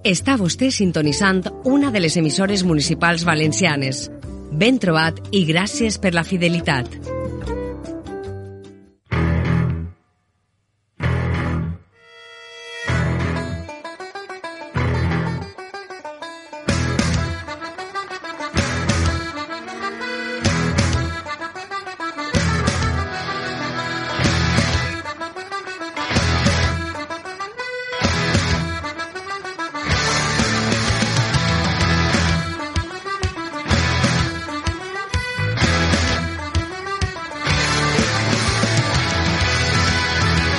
Està vostè sintonitzant una de les emissores municipals valencianes. Ben trobat i gràcies per la fidelitat.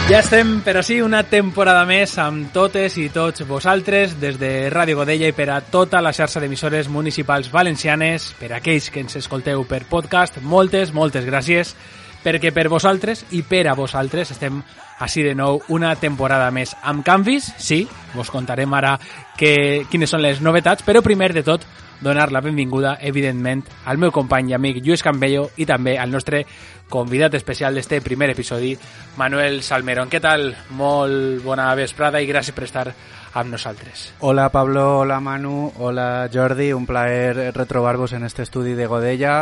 Ja estem, per així, una temporada més amb totes i tots vosaltres des de Ràdio Godella i per a tota la xarxa d'emissores municipals valencianes, per a aquells que ens escolteu per podcast, moltes gràcies, perquè per vosaltres i per a vosaltres estem així de nou una temporada més amb canvis. Sí, vos contarem ara quines són les novetats, però primer de tot donar la benvinguda, evidentment, al meu company i amic Lluís Campello i també al nostre convidat especial d'este primer episodi, Manuel Salmerón. Què tal? Molt bona vesprada i gràcies per estar amb nosaltres. Hola Pablo, hola Manu, hola Jordi, un plaer retrobar-vos en este estudi de Godella.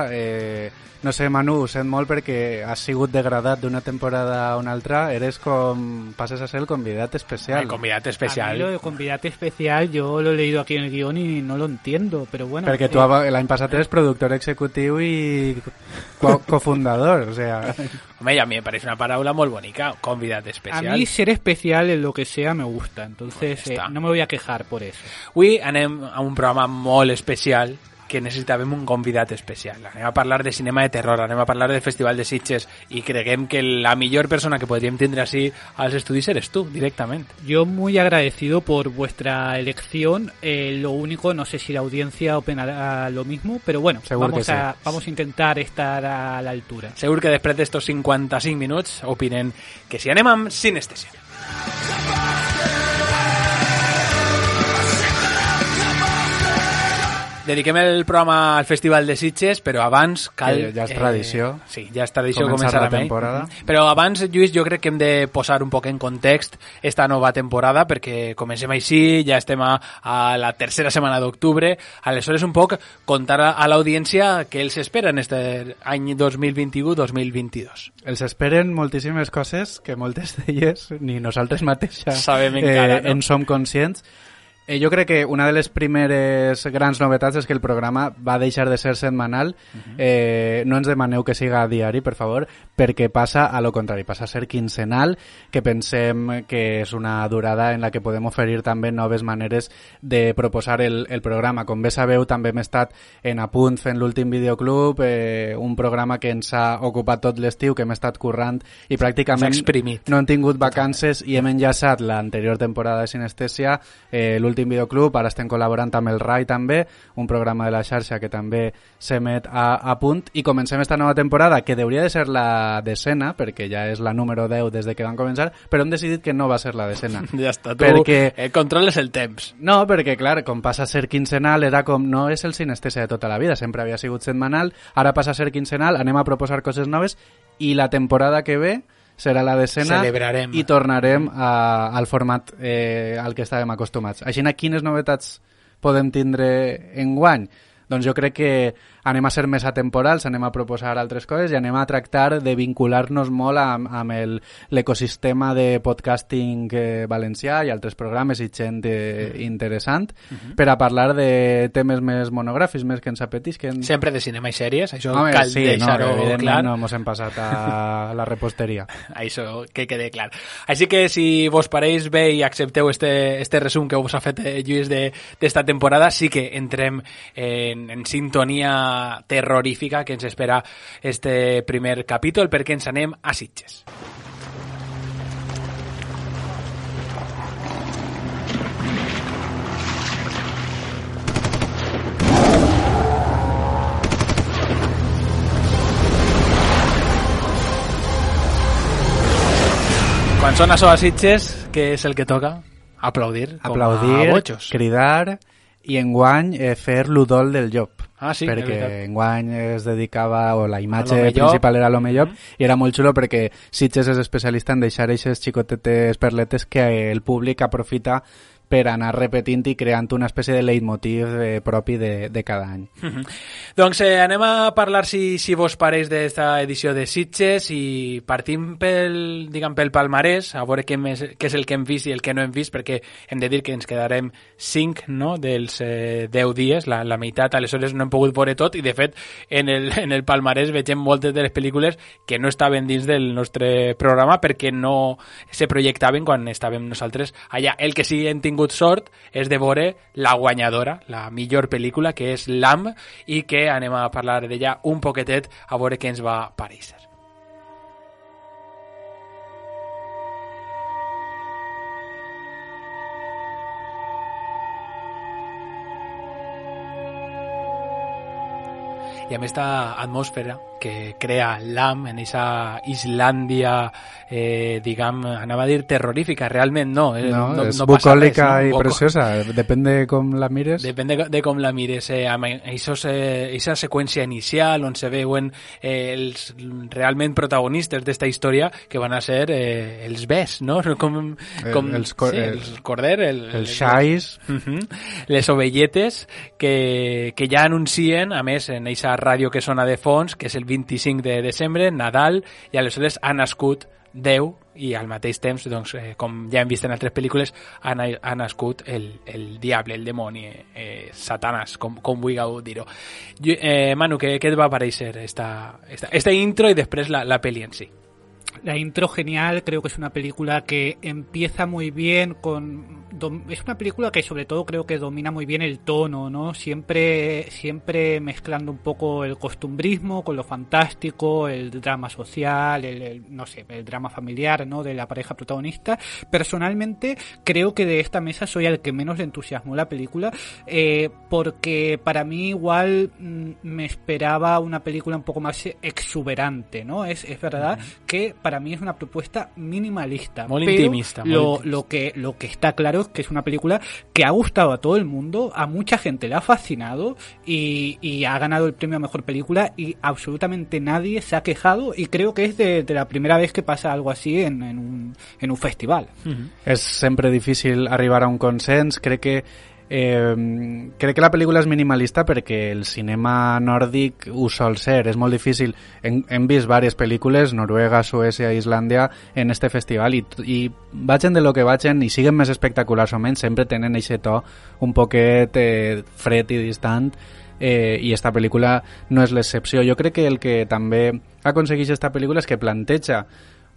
No sé, Manu, ho sent molt perquè has sigut degradat d'una temporada a una altra. Eres passes a ser el convidat especial. El convidat especial. A mí lo de convidat especial yo lo he leído aquí en el guión y no lo entiendo, pero bueno. Perquè tu l'any passat eres productor executiu i cofundador, o sea... Home, y a mí me parece una parábola muy bonita, convidat especial. A mí ser especial en lo que sea me gusta, entonces no me voy a quejar por eso. Avui anem a un programa molt especial que necessitàvem un convidat especial. Anem a parlar de cinema de terror, anem a parlar del Festival de Sitges i creguem que la millor persona que podríem tindre així als estudis eres tú, directamente. Yo muy agradecido por vuestra elección. Lo único, no sé si la audiencia opinará lo mismo, pero bueno, vamos a intentar estar a la altura. Segur que després d'estos 55 minuts opinen que si anem amb sinestesia. Dediquem el programa al Festival de Sitges, però abans cal... Ja és tradició. Sí, ja és tradició començar la temporada. Però abans, Lluís, jo crec que hem de posar un poc en context esta nova temporada, perquè comencem així, ja estem a la tercera setmana d'octubre. Aleshores, un poc contar a l'audiència què els espera en este any 2021-2022. Els esperen moltíssimes coses que moltes d'elles ni nosaltres mateixes sabem encara, no? En som conscients. Jo crec que una de les primeres grans novetats és que el programa va deixar de ser setmanal. No ens demaneu que siga a diari, per favor, perquè passa a lo contrari, passa a ser quinzenal, que pensem que és una durada en la que podem oferir també noves maneres de proposar el programa. Com bé sabeu, també hem estat en Apunt fent l'últim videoclub, un programa que ens ha ocupat tot l'estiu, que hem estat currant i pràcticament no hem tingut vacances i hem enllaçat l'anterior temporada de Sinestèsia, l'últim videoclub, ara estem col·laborant amb el RAI també, un programa de la xarxa que també s'emet a Punt, i comencem esta nova temporada, que hauria de ser la decena, perquè ja és la número 10 des de que van començar, però hem decidit que no va ser la decena. Ja està, tu controles el temps. No, perquè clar, com passa a ser quinzenal, era com, no és el Sinestèsia de tota la vida, sempre havia sigut setmanal, ara passa a ser quinzenal, anem a proposar coses noves, i la temporada que ve serà la decena. Celebrarem. I tornarem al format al que estàvem acostumats. Així, quines novetats podem tindre enguany? Doncs jo crec que anem a ser més atemporals, anem a proposar altres coses i anem a tractar de vincular-nos molt amb l'ecosistema de podcasting valencià i altres programes i gent interessant per a parlar de temes més monogràfics, més que ens apetisquen. Sempre de cinema i sèries, això cal deixar-ho clar. No ens hem passat a la reposteria. Això que quede clar. Així que si vos pareix bé i accepteu este resum que us ha fet Lluís d'esta temporada, sí que entrem en sintonia terrorífica que ens espera este primer capítol, perquè ens anem a Sitges. Quan sona això a Sitges, què és el que toca? Aplaudir, cridar i enguany fer l'udol del llop. Ah, sí, perquè enguany es dedicava, o la imatge principal era l'home llop, i era molt xulo perquè Sitges és especialista en deixar aquestes xicotetes perletes que el públic aprofita per anar repetint i creant una espècie de leitmotiv propi de cada any. Doncs anem a parlar, si vos pareix, d'esta edició de Sitges i partim pel palmarès, a veure què és el que hem vist i el que no hem vist, perquè hem de dir que ens quedarem 5, no?, dels 10 dies, la meitat, aleshores no hem pogut veure tot, i de fet en el palmarès vegem moltes de les pel·lícules que no estaven dins del nostre programa perquè no se projectaven quan estàvem nosaltres allà. El que sí hem tingut sort és de veure la guanyadora, la millor pel·lícula, que és Lamb, i que anem a parlar d'ella un poquetet a veure què ens va parèixer. I amb aquesta atmosfera que crea Lamb en esa Islàndia, anava a dir terrorífica, realment no. No és bucòlica i preciosa, depèn de com la mires. Depèn de com la mires. Amb aquesta seqüència inicial on se veuen els realment protagonistes d'esta història, que van a ser els bes, no? Com el corder, els xais, les ovelletes, que ja anuncien, a més, en aquesta ràdio que sona de fons, que és el 25 de desembre, Nadal, i aleshores ha nascut Déu, i al mateix temps, doncs, com ja hem vist en altres pel·lícules, ha nascut el diable, el demoni, Satanàs, com vulgueu dir-ho. Manu, què et va parèixer esta intro i després la pel·li en si? La intro genial, creo que es una película que empieza muy bien es una película que sobre todo creo que domina muy bien el tono, ¿no? Siempre mezclando un poco el costumbrismo con lo fantástico, el drama social, el drama familiar, ¿no?, de la pareja protagonista. Personalmente creo que de esta mesa soy al que menos le entusiasmó la película, porque para mí igual me esperaba una película un poco más exuberante, ¿no? Es verdad que para mí es una propuesta minimalista, muy pero intimista. Lo que está claro es que es una película que ha gustado a todo el mundo, a mucha gente le ha fascinado y ha ganado el premio a mejor película y absolutamente nadie se ha quejado, y creo que es de la primera vez que pasa algo así en un festival. És sempre difícil arribar a un consens. Crec que la pel·lícula és minimalista perquè el cinema nòrdic ho sol ser, és molt difícil. Hem vist diverses pel·lícules, Noruega, Suècia, Islàndia, en este festival, i vagin de lo que vagin i siguen més espectaculars o menys, sempre tenen aquest to un poquet fred i distant, i esta pel·lícula no és l'excepció. Jo crec que el que també aconsegueix esta pel·lícula és que planteja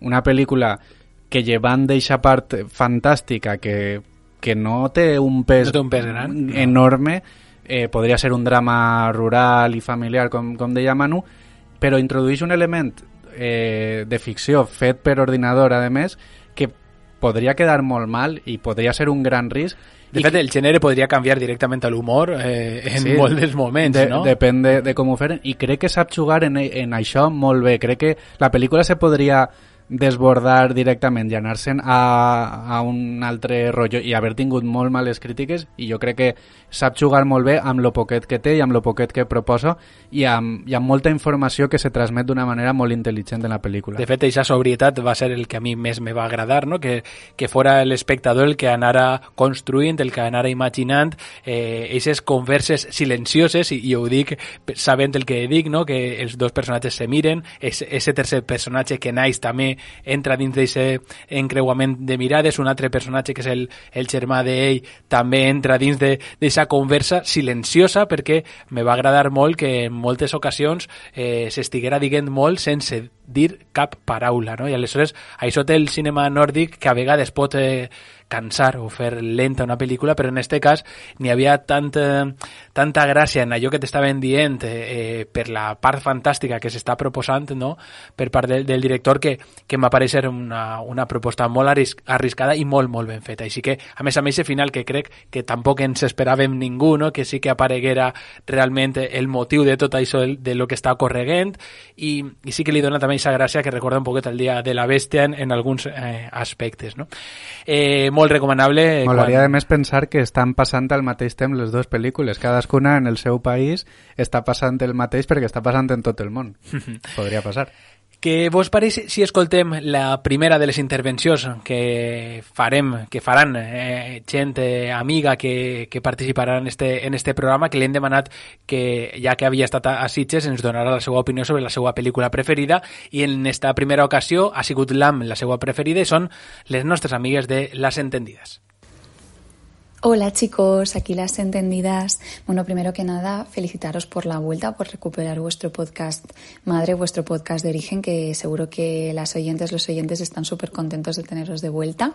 una pel·lícula que, llevant d'eixa part fantàstica que no té un pes gran, enorme, podria ser un drama rural i familiar, com deia Manu, però introdueix un element de ficció fet per ordinador, a més, que podria quedar molt mal i podria ser un gran risc. De fet, el gènere podria canviar directament a l'humor en molts moments, no? Depèn de com ho feren, i crec que sap jugar en això molt bé. Crec que la pel·lícula se podria desbordar directament i anar-se'n a un altre rotllo i haver tingut molt males crítiques, i jo crec que sap jugar molt bé amb lo poquet que té i amb lo poquet que proposa, i amb molta informació que se transmet d'una manera molt intel·ligent en la pel·lícula. De fet, aquesta sobrietat va ser el que a mi més me va agradar, no? Que fora l'espectador el que anara construint, el que anara imaginant aquestes converses silencioses, i ho dic sabent el que dic, no? Que els dos personatges se miren, ese tercer personatge que naix també entra dins d'aquest encreuament de mirades, un altre personatge que és el germà d'ell també entra dins d'aquesta conversa silenciosa, perquè me va agradar molt que en moltes ocasions s'estiguera dient molt sense dir cap paraula, no? I aleshores això té el cinema nòrdic, que a vegades pot cansar o fer lenta una pel·lícula, però en aquest cas n'hi havia tanta gràcia en allò que t'estaven dient per la part fantàstica que s'està proposant, no?, per part del director, que m'apareix una proposta molt arriscada i molt, molt ben feta. Així que, a més, el final, que crec que tampoc ens esperàvem ningú, no?, que sí que apareguera realment el motiu de tot això, de lo que està ocorreguent, i sí que li dona també aquesta gràcia que recorda un poquet el dia de la bèstia en alguns aspectes, no? Molt recomanable. M'agradaria de més pensar que estan passant al mateix temps les dues pel·lícules, cadascuna en el seu país està passant el mateix perquè està passant en tot el món. Podria passar. Què vos pareix si escoltem la primera de les intervencions que faran gent amiga que participarà en este programa, que li hem demanat que, ja que havia estat a Sitges, ens donarà la seva opinió sobre la seva pel·lícula preferida, i en esta primera ocasió ha sigut Lamb la seva preferida i són les nostres amigues de Las Entendidas. Hola chicos, aquí Las Entendidas. Bueno, primero que nada, felicitaros por la vuelta, por recuperar vuestro podcast madre, vuestro podcast de origen, que seguro que los oyentes están súper contentos de teneros de vuelta.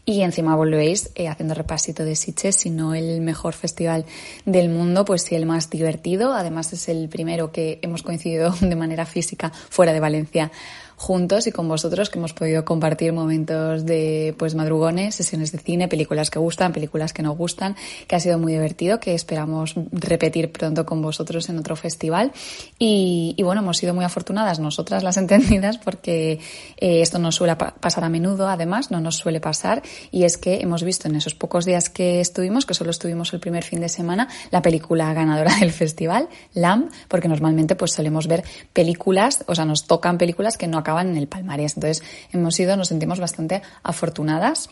Y encima volvéis haciendo repasito de Sitges, si no el mejor festival del mundo, pues sí el más divertido. Además es el primero que hemos coincidido de manera física fuera de Valencia juntos y con vosotros, que hemos podido compartir momentos de pues madrugones, sesiones de cine, películas que gustan, películas que no gustan, que ha sido muy divertido, que esperamos repetir pronto con vosotros en otro festival. Y bueno, hemos sido muy afortunadas nosotras, Las Entendidas, porque esto no suele pasar a menudo, además, no nos suele pasar, y es que hemos visto en esos pocos días que estuvimos, que solo estuvimos el primer fin de semana, la película ganadora del festival, Lamb, porque normalmente pues solemos ver películas, o sea, nos tocan películas que no acaban en el palmarés. Entonces nos sentimos bastante afortunadas,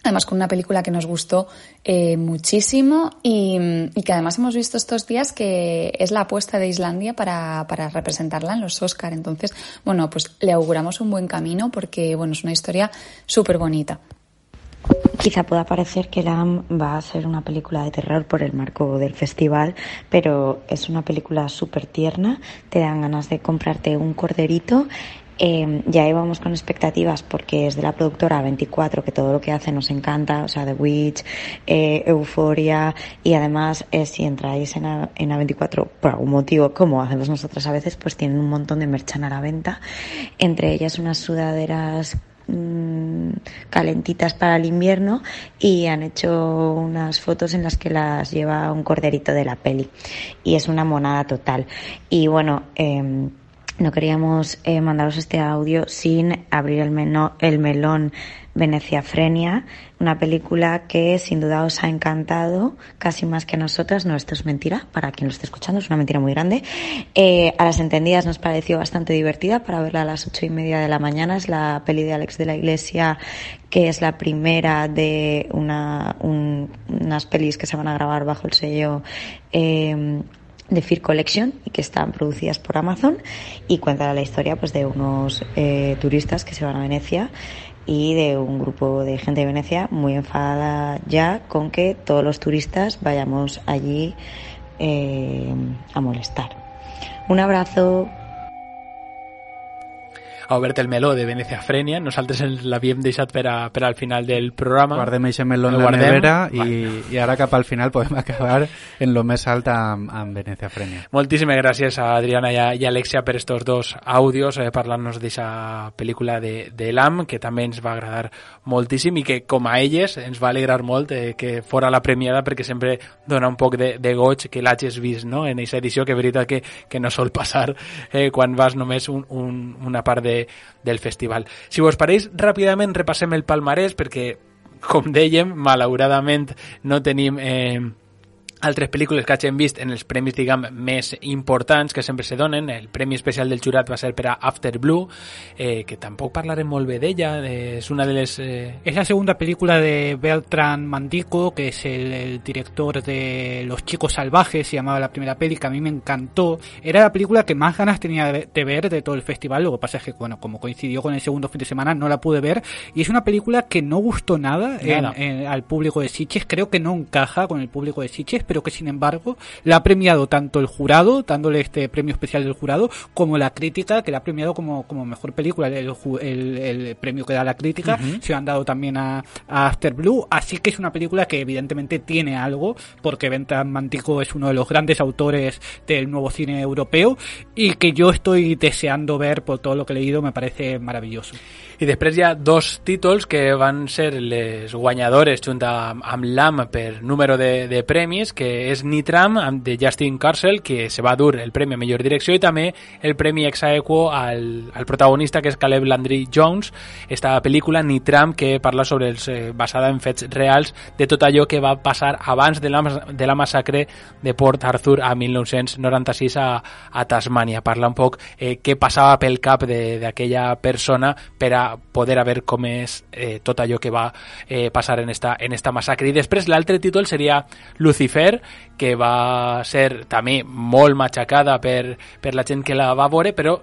además con una película que nos gustó muchísimo y que además hemos visto estos días que es la apuesta de Islandia para representarla en los Oscar. Entonces, bueno, pues le auguramos un buen camino porque, bueno, es una historia súper bonita. Quizá pueda parecer que Lamb va a ser una película de terror por el marco del festival, pero es una película súper tierna, te dan ganas de comprarte un corderito. Ya íbamos con expectativas porque es de la productora A24, que todo lo que hace nos encanta, o sea, The Witch, Euphoria, y además si entráis en A24 por algún motivo, como hacemos nosotras a veces, pues tienen un montón de merchan a la venta, entre ellas unas sudaderas calentitas para el invierno, y han hecho unas fotos en las que las lleva un corderito de la peli y es una monada total. Y bueno, no queríamos mandaros este audio sin abrir el melón Veneciafrenia, una película que sin duda os ha encantado, casi más que a nosotras. No, esto es mentira, para quien lo esté escuchando, es una mentira muy grande. A Las Entendidas nos pareció bastante divertida para verla a las 8:30 de la mañana. Es la peli de Alex de la Iglesia, que es la primera de unas pelis que se van a grabar bajo el sello de Fear Collection y que están producidas por Amazon, y cuenta la historia pues de unos turistas que se van a Venecia y de un grupo de gente de Venecia muy enfadada ya con que todos los turistas vayamos allí a molestar. Un abrazo. A obert el meló de Veneciafrenia, nosaltres l'havíem deixat per al final del programa. Guardem aquest meló en la nevera i ara cap al final podem acabar en lo més alt amb Veneciafrenia. Moltíssimes gràcies a Adriana i Alexia per estos dos àudios parlant-nos d'aquesta pel·lícula de Lamb, que també ens va agradar moltíssim i que com a elles ens va alegrar molt que fora la premiada, perquè sempre dona un poc de goig que l'hagis vist, no? En aquesta edició, que és veritat que no sol passar quan vas només una part del festival. Si vos pareix, ràpidament repassem el palmarès, perquè, com dèiem, malauradament no tenim altres pel·lícules que hagin vist en els premis, diguem, més importants que sempre se donen. El premi especial del jurat va ser per a After Blue, que tampoc parlarem molt bé d'ella, és una de les... Es la segunda película de Bertrand Mandico, que es el director de Los Chicos Salvajes, se llamaba la primera peli, que a mí me encantó. Era la película que más ganas tenía de ver de todo el festival. Lo que pasa es que, bueno, como coincidió con el segundo fin de semana, no la pude ver, y es una película que no gustó nada al público de Sitges. Creo que no encaja con el público de Sitges, pero que sin embargo la ha premiado tanto el jurado, dándole este premio especial del jurado, como la crítica, que la ha premiado como mejor película. El premio que da la crítica se lo han dado también a After Blue, así que es una película que evidentemente tiene algo, porque Bertrand Mandico es uno de los grandes autores del nuevo cine europeo y que yo estoy deseando ver por todo lo que he leído. Me parece maravilloso. I després hi ha 2 títols que van ser les guanyadores junt amb l'AM per número de premis, que és Nitram, de Justin Kurzel, que se va dur el premi a millor direcció, i també el premi ex aequo al protagonista, que és Caleb Landry Jones, esta pel·lícula Nitram, que parla sobre basada en fets reals de tot allò que va passar abans de la massacre de Port Arthur a 1996 a Tasmània. Parla un poc què passava pel cap d'aquella persona per a poder haver comès tot allò que va passar en esta massacre. I després l'altre títol seria Lucifer, que va ser també molt matxacada per la gent que la va veure, però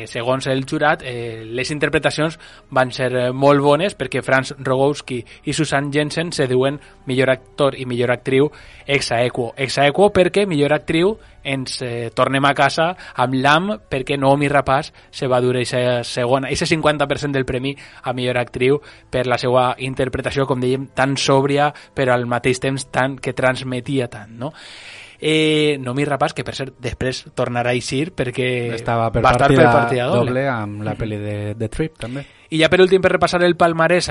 segons el jurat, les interpretacions van ser molt bones, perquè Franz Rogowski i Susan Jensen se diuen millor actor i millor actriu ex aequo. Ex aequo perquè millor actriu ens tornem a casa amb l'AM, perquè Noomi Rapace se va dur eixa 50% del premi a millor actriu per la seva interpretació, com dèiem, tan sòbria, però al mateix temps que transmetia tant, no? Noomi Rapace, que per cert després tornarà a eixir perquè estava per va estar per partida doble amb la pel·li de Trip també. I ja per últim, per repassar el palmarès,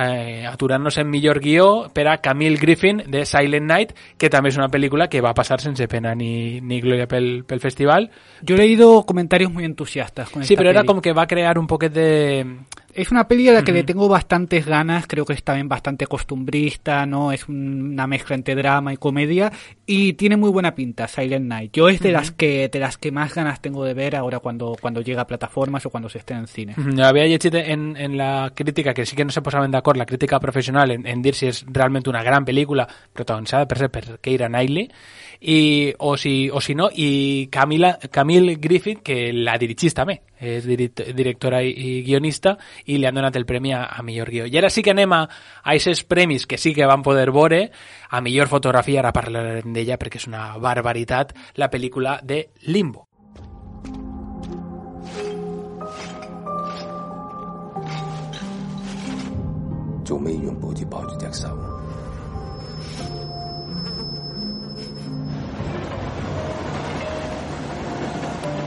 aturant-nos en millor guió per a Camille Griffin de Silent Night, que també és una pel·lícula que va passar sense pena ni glòria pel festival. Yo he leído comentarios muy entusiastas con Sí, esta però era peli. com que va crear un poquet de... Es una peli a la que le tengo bastantes ganas, creo que es también bastante costumbrista, ¿no? Es una mezcla entre drama y comedia y tiene muy buena pinta, Silent Night. Yo es de las que más ganas tengo de ver ahora cuando llega a plataformas o cuando se esté en cine. Havia llegit en la crítica, que sí que no se posaven d'acord, la crítica professional, en dir si és realment una gran pel·lícula protagonitzada per Keira Knightley, o si no, i Camille Griffith, que la dirigís també, és directora i guionista, i li han donat el premi a millor guió. I ara sí que anem a aquests premis que sí que van poder veure. A millor fotografia, ara parlarem d'ella perquè és una barbaritat, la pel·lícula de Limbo.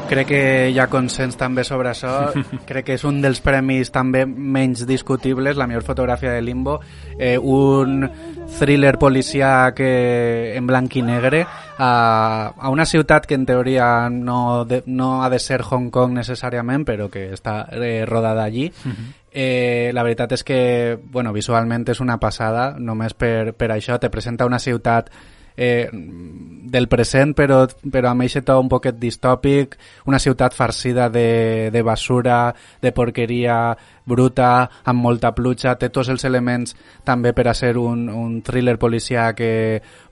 Crec que hi ha consens també sobre això. Crec que és un dels premis també menys discutibles, la millor fotografia de Limbo, un thriller policiac en blanc i negre a una ciutat que en teoria no ha de ser Hong Kong necessàriament, però que està rodada allí. La veritat és que visualment és una passada, només per això te presenta una ciutat del present, però amb aquest to un poquet distòpic, una ciutat farcida de basura, de porqueria bruta, amb molta pluja, té tots els elements també per a ser un thriller policiac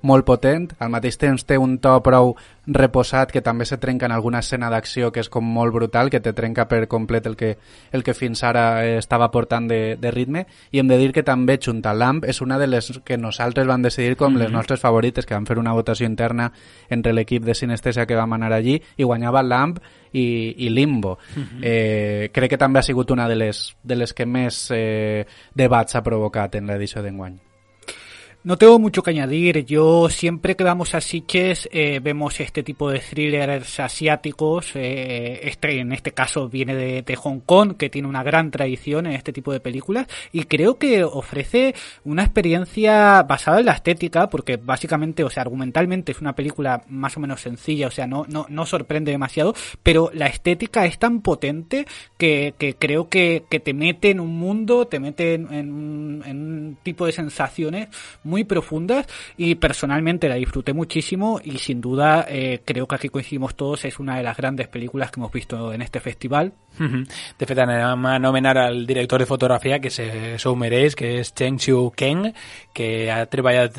molt potent. Al mateix temps té un to prou reposat, que també se trenca en alguna escena d'acció que és com molt brutal, que te trenca per complet el que fins ara estava portant de ritme. I hem de dir que també Junta Lamp és una de les que nosaltres vam decidir com les nostres favorites, que vam fer una votació interna entre l'equip de Sinestesia que vam anar allí, i guanyava Lamp i Limbo. Crec que també ha sigut una de les que més debats ha provocat en l'edició d'enguany. No tengo mucho que añadir. Yo siempre que vamos a Sitges vemos este tipo de thrillers asiáticos. En este caso viene de Hong Kong, que tiene una gran tradición en este tipo de películas, y creo que ofrece una experiencia basada en la estética, porque básicamente, argumentalmente es una película más o menos sencilla, no sorprende demasiado, pero la estética es tan potente que creo que te mete en un mundo, te mete en un tipo de sensaciones muy profundas, y personalmente la disfruté muchísimo, y sin duda creo que aquí coincidimos todos, es una de las grandes películas que hemos visto en este festival. De fet, anem a anomenar al director de fotografia, que s'ho mereix, que és Cheng Xiu Keng, que ha treballat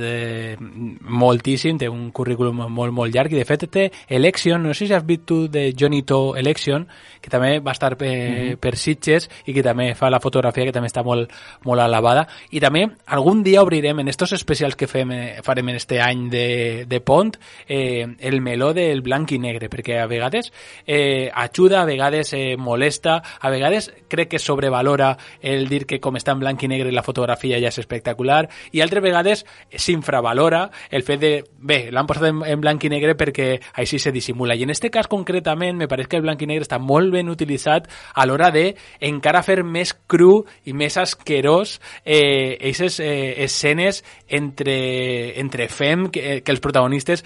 moltíssim, té un currículum molt llarg, i de fet té Election, no sé si has vist tu de Johnny To Election, que també va estar per Sitges, i que també fa la fotografia, que també està molt alabada. I també algun dia obrirem, en estos especials que farem en este any de Pont, el meló del blanc i negre, perquè a vegades ajuda, a vegades molesta, a vegades crec que sobrevalora el dir que com està en blanc i negre la fotografia ja és espectacular, i altres vegades s'infravalora el fet de, bé, l'han posat en blanc i negre perquè així se dissimula, i en este cas concretament me pareix que el blanc i negre està molt ben utilitzat a l'hora de encara fer més cru i més asquerós aquestes escenes entre fem que els protagonistes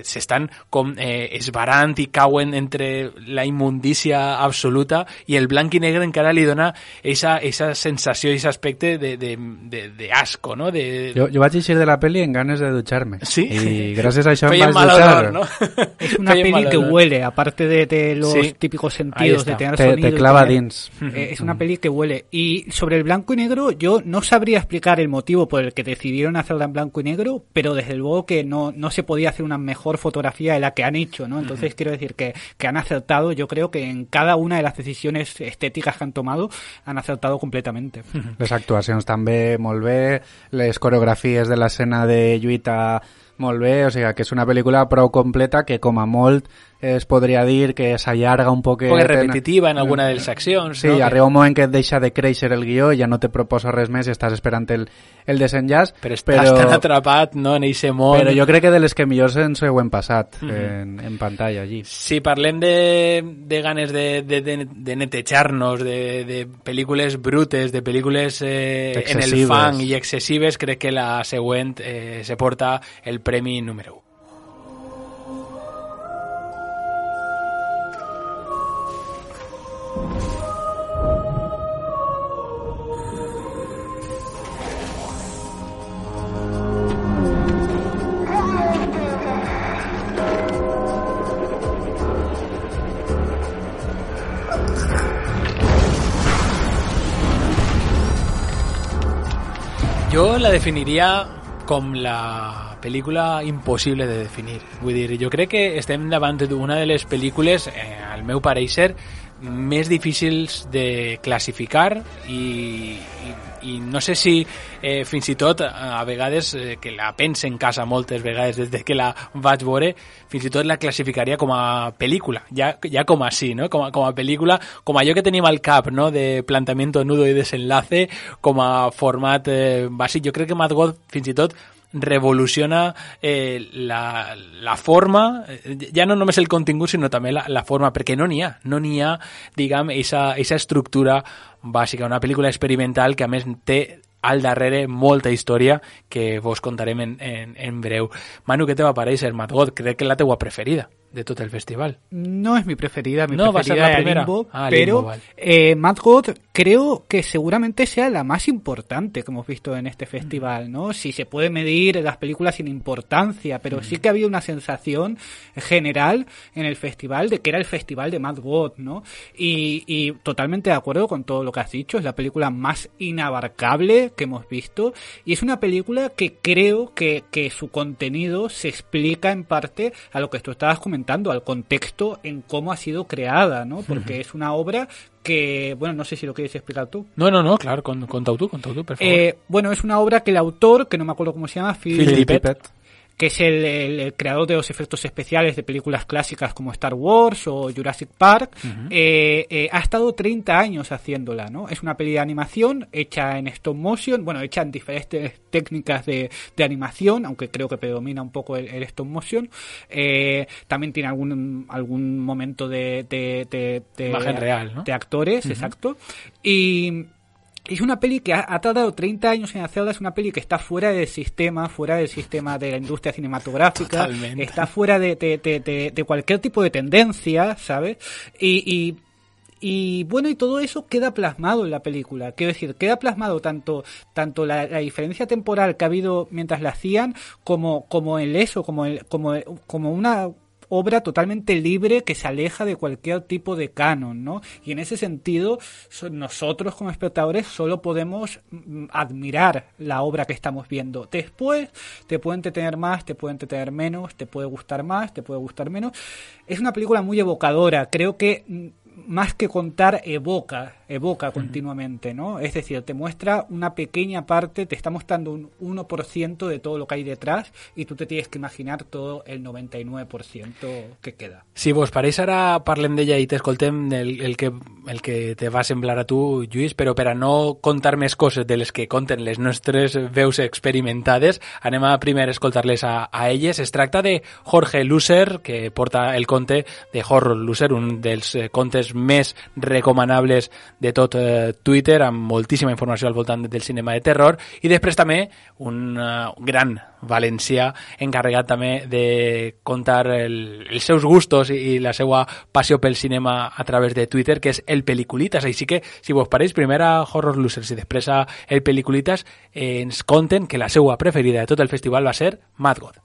s'estan com esbarant i cauen entre la immundícia absoluta, i el blanc i negre encara li dona esa sensació i ese aspecte de asco, ¿no? Jo vaig eixir de la peli en ganes de dutxar-me. Sí. Y gracias a eso me vaig dutxar. ¿No? Es una peli que huele, aparte de los típicos sentidos, de tener sonido. Te clava dins. Es una peli que huele. Y sobre el blanco y negro, yo no sabría explicar el motivo por el que decidieron hacerla en blanco y negro, pero desde luego que no se podía hacer una mejor fotografía de la que han hecho, ¿no? Entonces quiero decir que han acertado, yo creo que en cada una de las decisiones estéticas que han tomado, han acertado completamente. Les actuacions també molt bé, les coreografies de l'escena de lluita molt bé, o sigui que és una pel·lícula prou completa que com a molt es podria dir que s'allarga un poc... Un poc repetitiva en alguna de les accions. Sí, no? arriba un moment que et deixa de créixer el guió, ja no te proposa res més i estàs esperant el desenllaç. Però estàs tan atrapat, no?, en eixe món. Però jo crec que de les que millors ens ho hem passat en pantalla allí. Si parlem de ganes de netejar-nos, de pel·lícules brutes, de pel·lícules en el fang i excessives, crec que la següent se porta el premi número 1. Jo la definiria com la pel·lícula impossible de definir. Vull dir, jo crec que estem davant d'una de les pel·lícules, al meu pareixer, més difícils de classificar i no sé si fins i tot a vegades que la pense en casa moltes vegades des que la vaig veure, fins i tot la classificaria com a pel·lícula, ja com així, no? Com a pel·lícula, com allò que tenim al cap, no? De plantamiento, nudo i desenlace, com a format bàsic. Jo crec que Mad God fins i tot revoluciona la forma, ja no només el contingut sinó també la forma, perquè no n'hi ha, diguem, esa estructura bàsica, una pel·lícula experimental que a més té al darrere molta història que vos contarem en breu. Manu, què te va parèixer Mad God? Crec que és la teua preferida de tot el festival. No es mi preferida, no, preferida es Limbo, pero Limbo, vale. Mad God creo que seguramente sea la más importante que hemos visto en este festival, ¿no? Si se puede medir las películas sin importancia, pero sí que había una sensación general en el festival de que era el festival de Mad God, ¿no? Y totalmente de acuerdo con todo lo que has dicho, es la película más inabarcable que hemos visto y es una película que creo que su contenido se explica en parte a lo que tú estabas comentando, al contexto en cómo ha sido creada, ¿no? Porque es una obra que, bueno, no sé si lo quieres explicar tú. No, claro, contau tú, por favor. Bueno, es una obra que el autor, que no me acuerdo cómo se llama, Phil Tippett, que es el creador de los efectos especiales de películas clásicas como Star Wars o Jurassic Park, ha estado 30 años haciéndola, ¿no? Es una peli de animación hecha en stop motion, bueno, hecha en diferentes técnicas de animación, aunque creo que predomina un poco el stop motion. También tiene algún momento de imagen real, ¿no? De actores, exacto. Y es una peli que ha tardado 30 años en hacerla, es una peli que está fuera del sistema de la industria cinematográfica. Totalmente. Está fuera de cualquier tipo de tendencia, ¿sabes? Y bueno, y todo eso queda plasmado en la película. Quiero decir, queda plasmado tanto la diferencia temporal que ha habido mientras la hacían, como una obra totalmente libre que se aleja de cualquier tipo de canon, ¿no? Y en ese sentido, nosotros como espectadores solo podemos admirar la obra que estamos viendo. Después, te puede entretener más, te puede entretener menos, te puede gustar más, te puede gustar menos. Es una película muy evocadora. Creo que más que contar, evoca continuamente, ¿no? Es decir, te muestra una pequeña parte, te está mostrando un 1% de todo lo que hay detrás y tú te tienes que imaginar todo el 99% que queda. Si vos pareix, ara parlem d'ella i t'escoltem el que te va semblar a tu, Lluís, però per a no contar més coses de les que conten les nostres veus experimentades, anem a primer escoltar-les a elles. Es tracta de Jorge Luser, que porta el conte de Horror Loser, un dels contes més recomanables de tot Twitter, amb moltíssima informació al voltant del cinema de terror, i després també un gran valencià encarregat també de contar els seus gustos i la seva passió pel cinema a través de Twitter, que és el Peliculitas. Així que, si vos pareix, primer a Horror Losers i després a el Peliculitas, ens conten que la seva preferida de tot el festival va ser Mad God.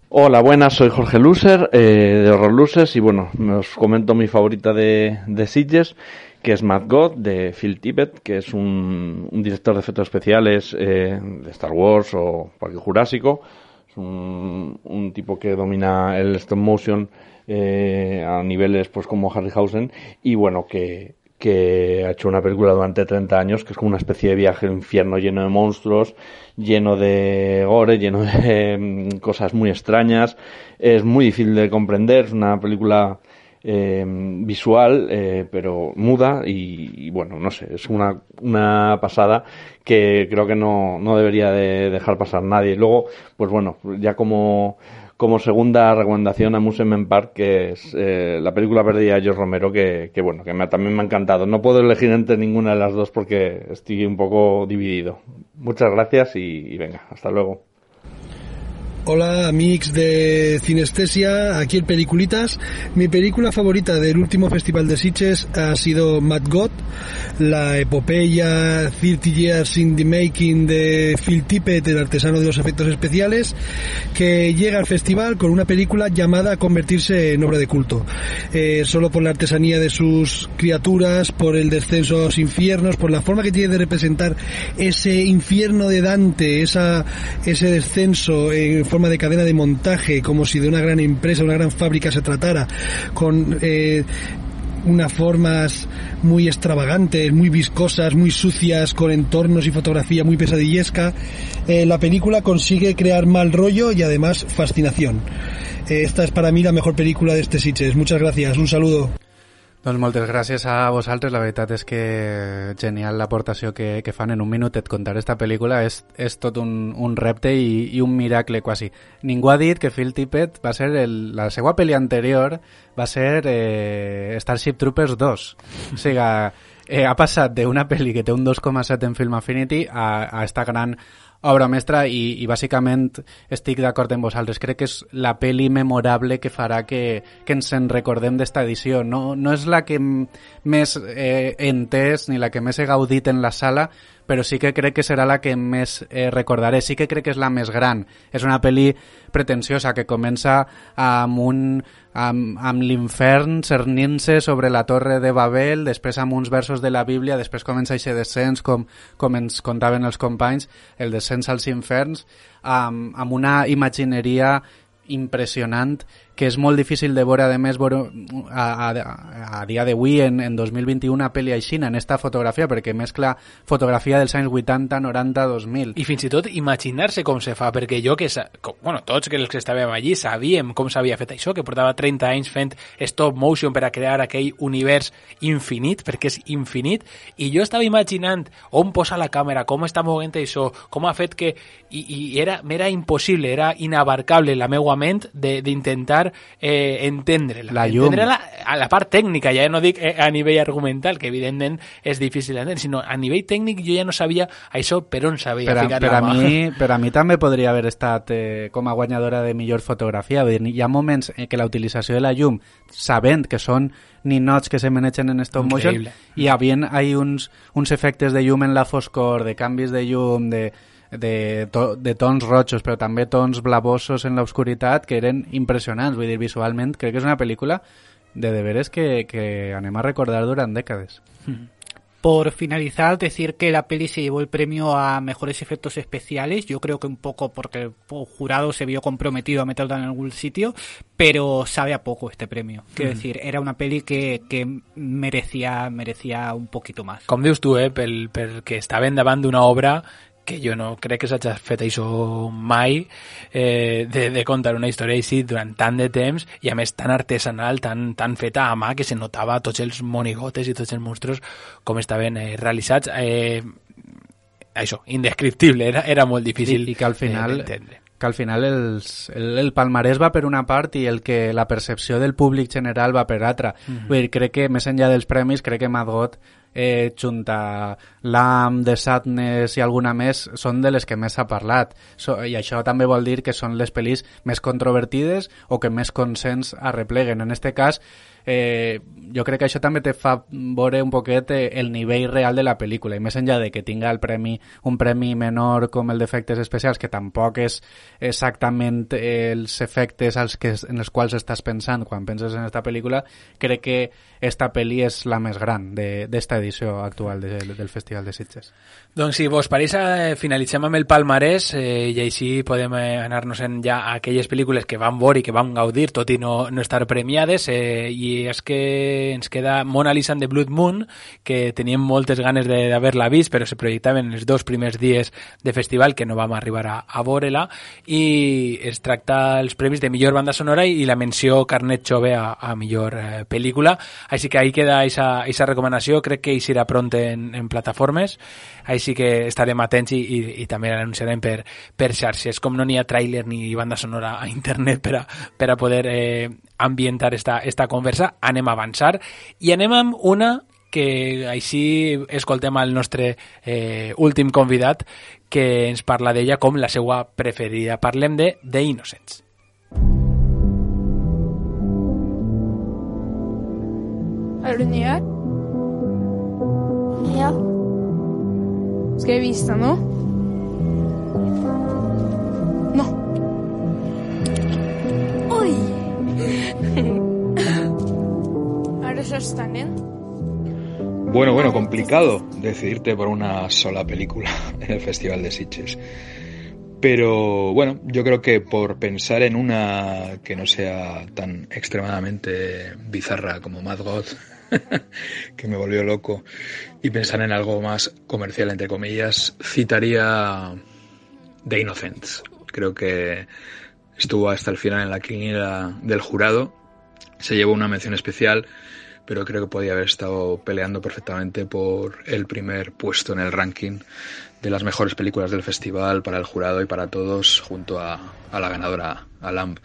Hola, buenas, soy Jorge Luser, de Horror Losers, y bueno, os comento mi favorita de Sitges, que es Mad God, de Phil Tippett, que es un director de efectos especiales de Star Wars o Parque Jurásico. Es un tipo que domina el stop motion a niveles pues como Harryhausen, y bueno, que ha hecho una película durante 30 años, que es como una especie de viaje al infierno lleno de monstruos, lleno de gore, lleno de cosas muy extrañas. Es muy difícil de comprender, es una película visual, pero muda y bueno, no sé, es una pasada que creo que no debería de dejar pasar nadie. Luego, pues bueno, ya como segunda recomendación, Amusement Park, que es la película perdida de George Romero, que bueno, que también me ha encantado. No puedo elegir entre ninguna de las dos porque estoy un poco dividido. Muchas gracias y venga, hasta luego. Hola, amics de Cinestesia, aquí el Peliculitas. Mi película favorita del último Festival de Sitges ha sido Mad God, la epopeya 30 Years in the Making de Phil Tippett, el artesano de los efectos especiales, que llega al festival con una película llamada a convertirse en obra de culto. Solo por la artesanía de sus criaturas, por el descenso a los infiernos, por la forma que tiene de representar ese infierno de Dante, ese descenso en forma de cadena de montaje, como si de una gran empresa, una gran fábrica se tratara, con unas formas muy extravagantes, muy viscosas, muy sucias, con entornos y fotografía muy pesadillesca. La película consigue crear mal rollo y además fascinación. Esta és para mi la mejor película de este Sitges. Muchas gracias, un saludo. Doncs moltes gràcies a vosaltres, la veritat és que genial l'aportació que fan. En un minut et contaré esta pel·lícula, és tot un repte i un miracle quasi. Ningú ha dit que Phil Tippett va ser la seva pel·li anterior va ser Starship Troopers 2. O sigui, ha passat d'una pel·li que té un 2,7 en Film Affinity a esta gran obra mestra i bàsicament estic d'acord amb vosaltres. Crec que és la pel·li memorable que farà que ens en recordem d'esta edició. No és la que més he entès ni la que més he gaudit en la sala, però sí que crec que serà la que més recordaré. Sí que crec que és la més gran. És una pel·li pretensiosa que comença amb l'infern cernint-se sobre la torre de Babel, després amb uns versos de la Bíblia, després comença aquest descens, com ens contaven els companys, el descens als inferns, amb una imagineria impressionant que és molt difícil de veure, a més, a dia d'avui, en 2021, una pel·li aixina, en esta fotografia, perquè mescla fotografia dels anys 80, 90, 2000. I fins i tot imaginar-se com se fa, perquè jo tots els que estàvem allí sabíem com s'havia fet això, que portava 30 anys fent stop motion per a crear aquell univers infinit, perquè és infinit, i jo estava imaginant on posa la càmera, com està movent això, com ha fet que... I m'era impossible, era inabarcable la meua ment d'intentar entendre-la. La llum. Entendre-la a la part tècnica, ja no dic a nivell argumental, que evidentment és difícil d'entendre, sinó a nivell tècnic jo ja no sabia això per on s'havia ficat la mà. Per a mi també podria haver estat com a guanyadora de millor fotografia. Hi ha moments en què la utilització de la llum, sabent que són ninots que se manegen en stop motion, hi havia uns efectes de llum en la foscor, de canvis de llum, de tons rojos, però també tons blavosos en l'obscuritat, que eren impressionants. Vull dir, visualment crec que és una pel·lícula de veres que anem a recordar durant dècades. Por finalizar, decir que la peli se llevó el premio a mejores efectos especiales. Yo creo que un poco porque el jurado se vio comprometido a meterla en algún sitio, pero sabe a poco este premio. Quiero decir, era una peli que merecía un poquito más. Com dius tu, perquè estaven davant d'una obra que jo no crec que s'hagi fet això mai, de contar una història així durant tant de temps i a més tan artesanal, tan feta a mà, que se notava tots els monigotes i tots els monstros com estaven realitzats. Això, indescriptible, era molt difícil i que al final d'entendre. Que al final el palmarès va per una part i el que la percepció del públic general va per altra. Vull dir, crec que més enllà dels premis, crec que Mad God, junta Lamb, The Sadness i alguna més, són de les que més s'ha parlat. I això també vol dir que són les pel·lis més controvertides o que més consens arrepleguen. En este cas, jo crec que això també te fa veure un poquet el nivell real de la pel·lícula, i més enllà de que tinga un premi menor com el d'efectes especials, que tampoc és exactament els efectes en els quals estàs pensant quan penses en esta pel·lícula, crec que esta pel·li és la més gran d'esta edició actual del Festival de Sitges. Doncs si vos pareix, finalitzem amb el palmarès i així podem anar-nos ja a aquelles pel·lícules que vam veure i que vam gaudir, tot i no estar premiades, i és que ens queda Mona Lisa and the Blood Moon, que teníem moltes ganes d'haver-la vist, però se projectaven els 2 primers dies de festival, que no vam arribar a veure-la, i es tracta els premis de millor banda sonora i la menció Carnet Jove a millor pel·lícula. Així que ahí queda esa recomanació, crec que hi serà pront en plataformes, així que estarem atents i també l'anunciarem per xarxes. Com no n'hi ha tràiler ni banda sonora a internet per a poder ambientar esta conversa, anem a avançar i anem amb una que així escoltem al nostre últim convidat, que ens parla d'ella com la seva preferida. Parlem de The Innocents. Er du ny her? Ja. Skal jeg vise deg noe? Nå. Oi! Er det søsteren din? Bueno, complicado decidirte por una sola película en el Festival de Sitges. Pero bueno, yo creo que por pensar en una que no sea tan extremadamente bizarra como Mad God, que me volvió loco, y pensar en algo más comercial, entre comillas, citaría The Innocents. Creo que estuvo hasta el final en la quiniela del jurado, se llevó una mención especial, pero creo que podía haber estado peleando perfectamente por el primer puesto en el ranking de las mejores películas del festival para el jurado y para todos, junto a la ganadora, a Lamb.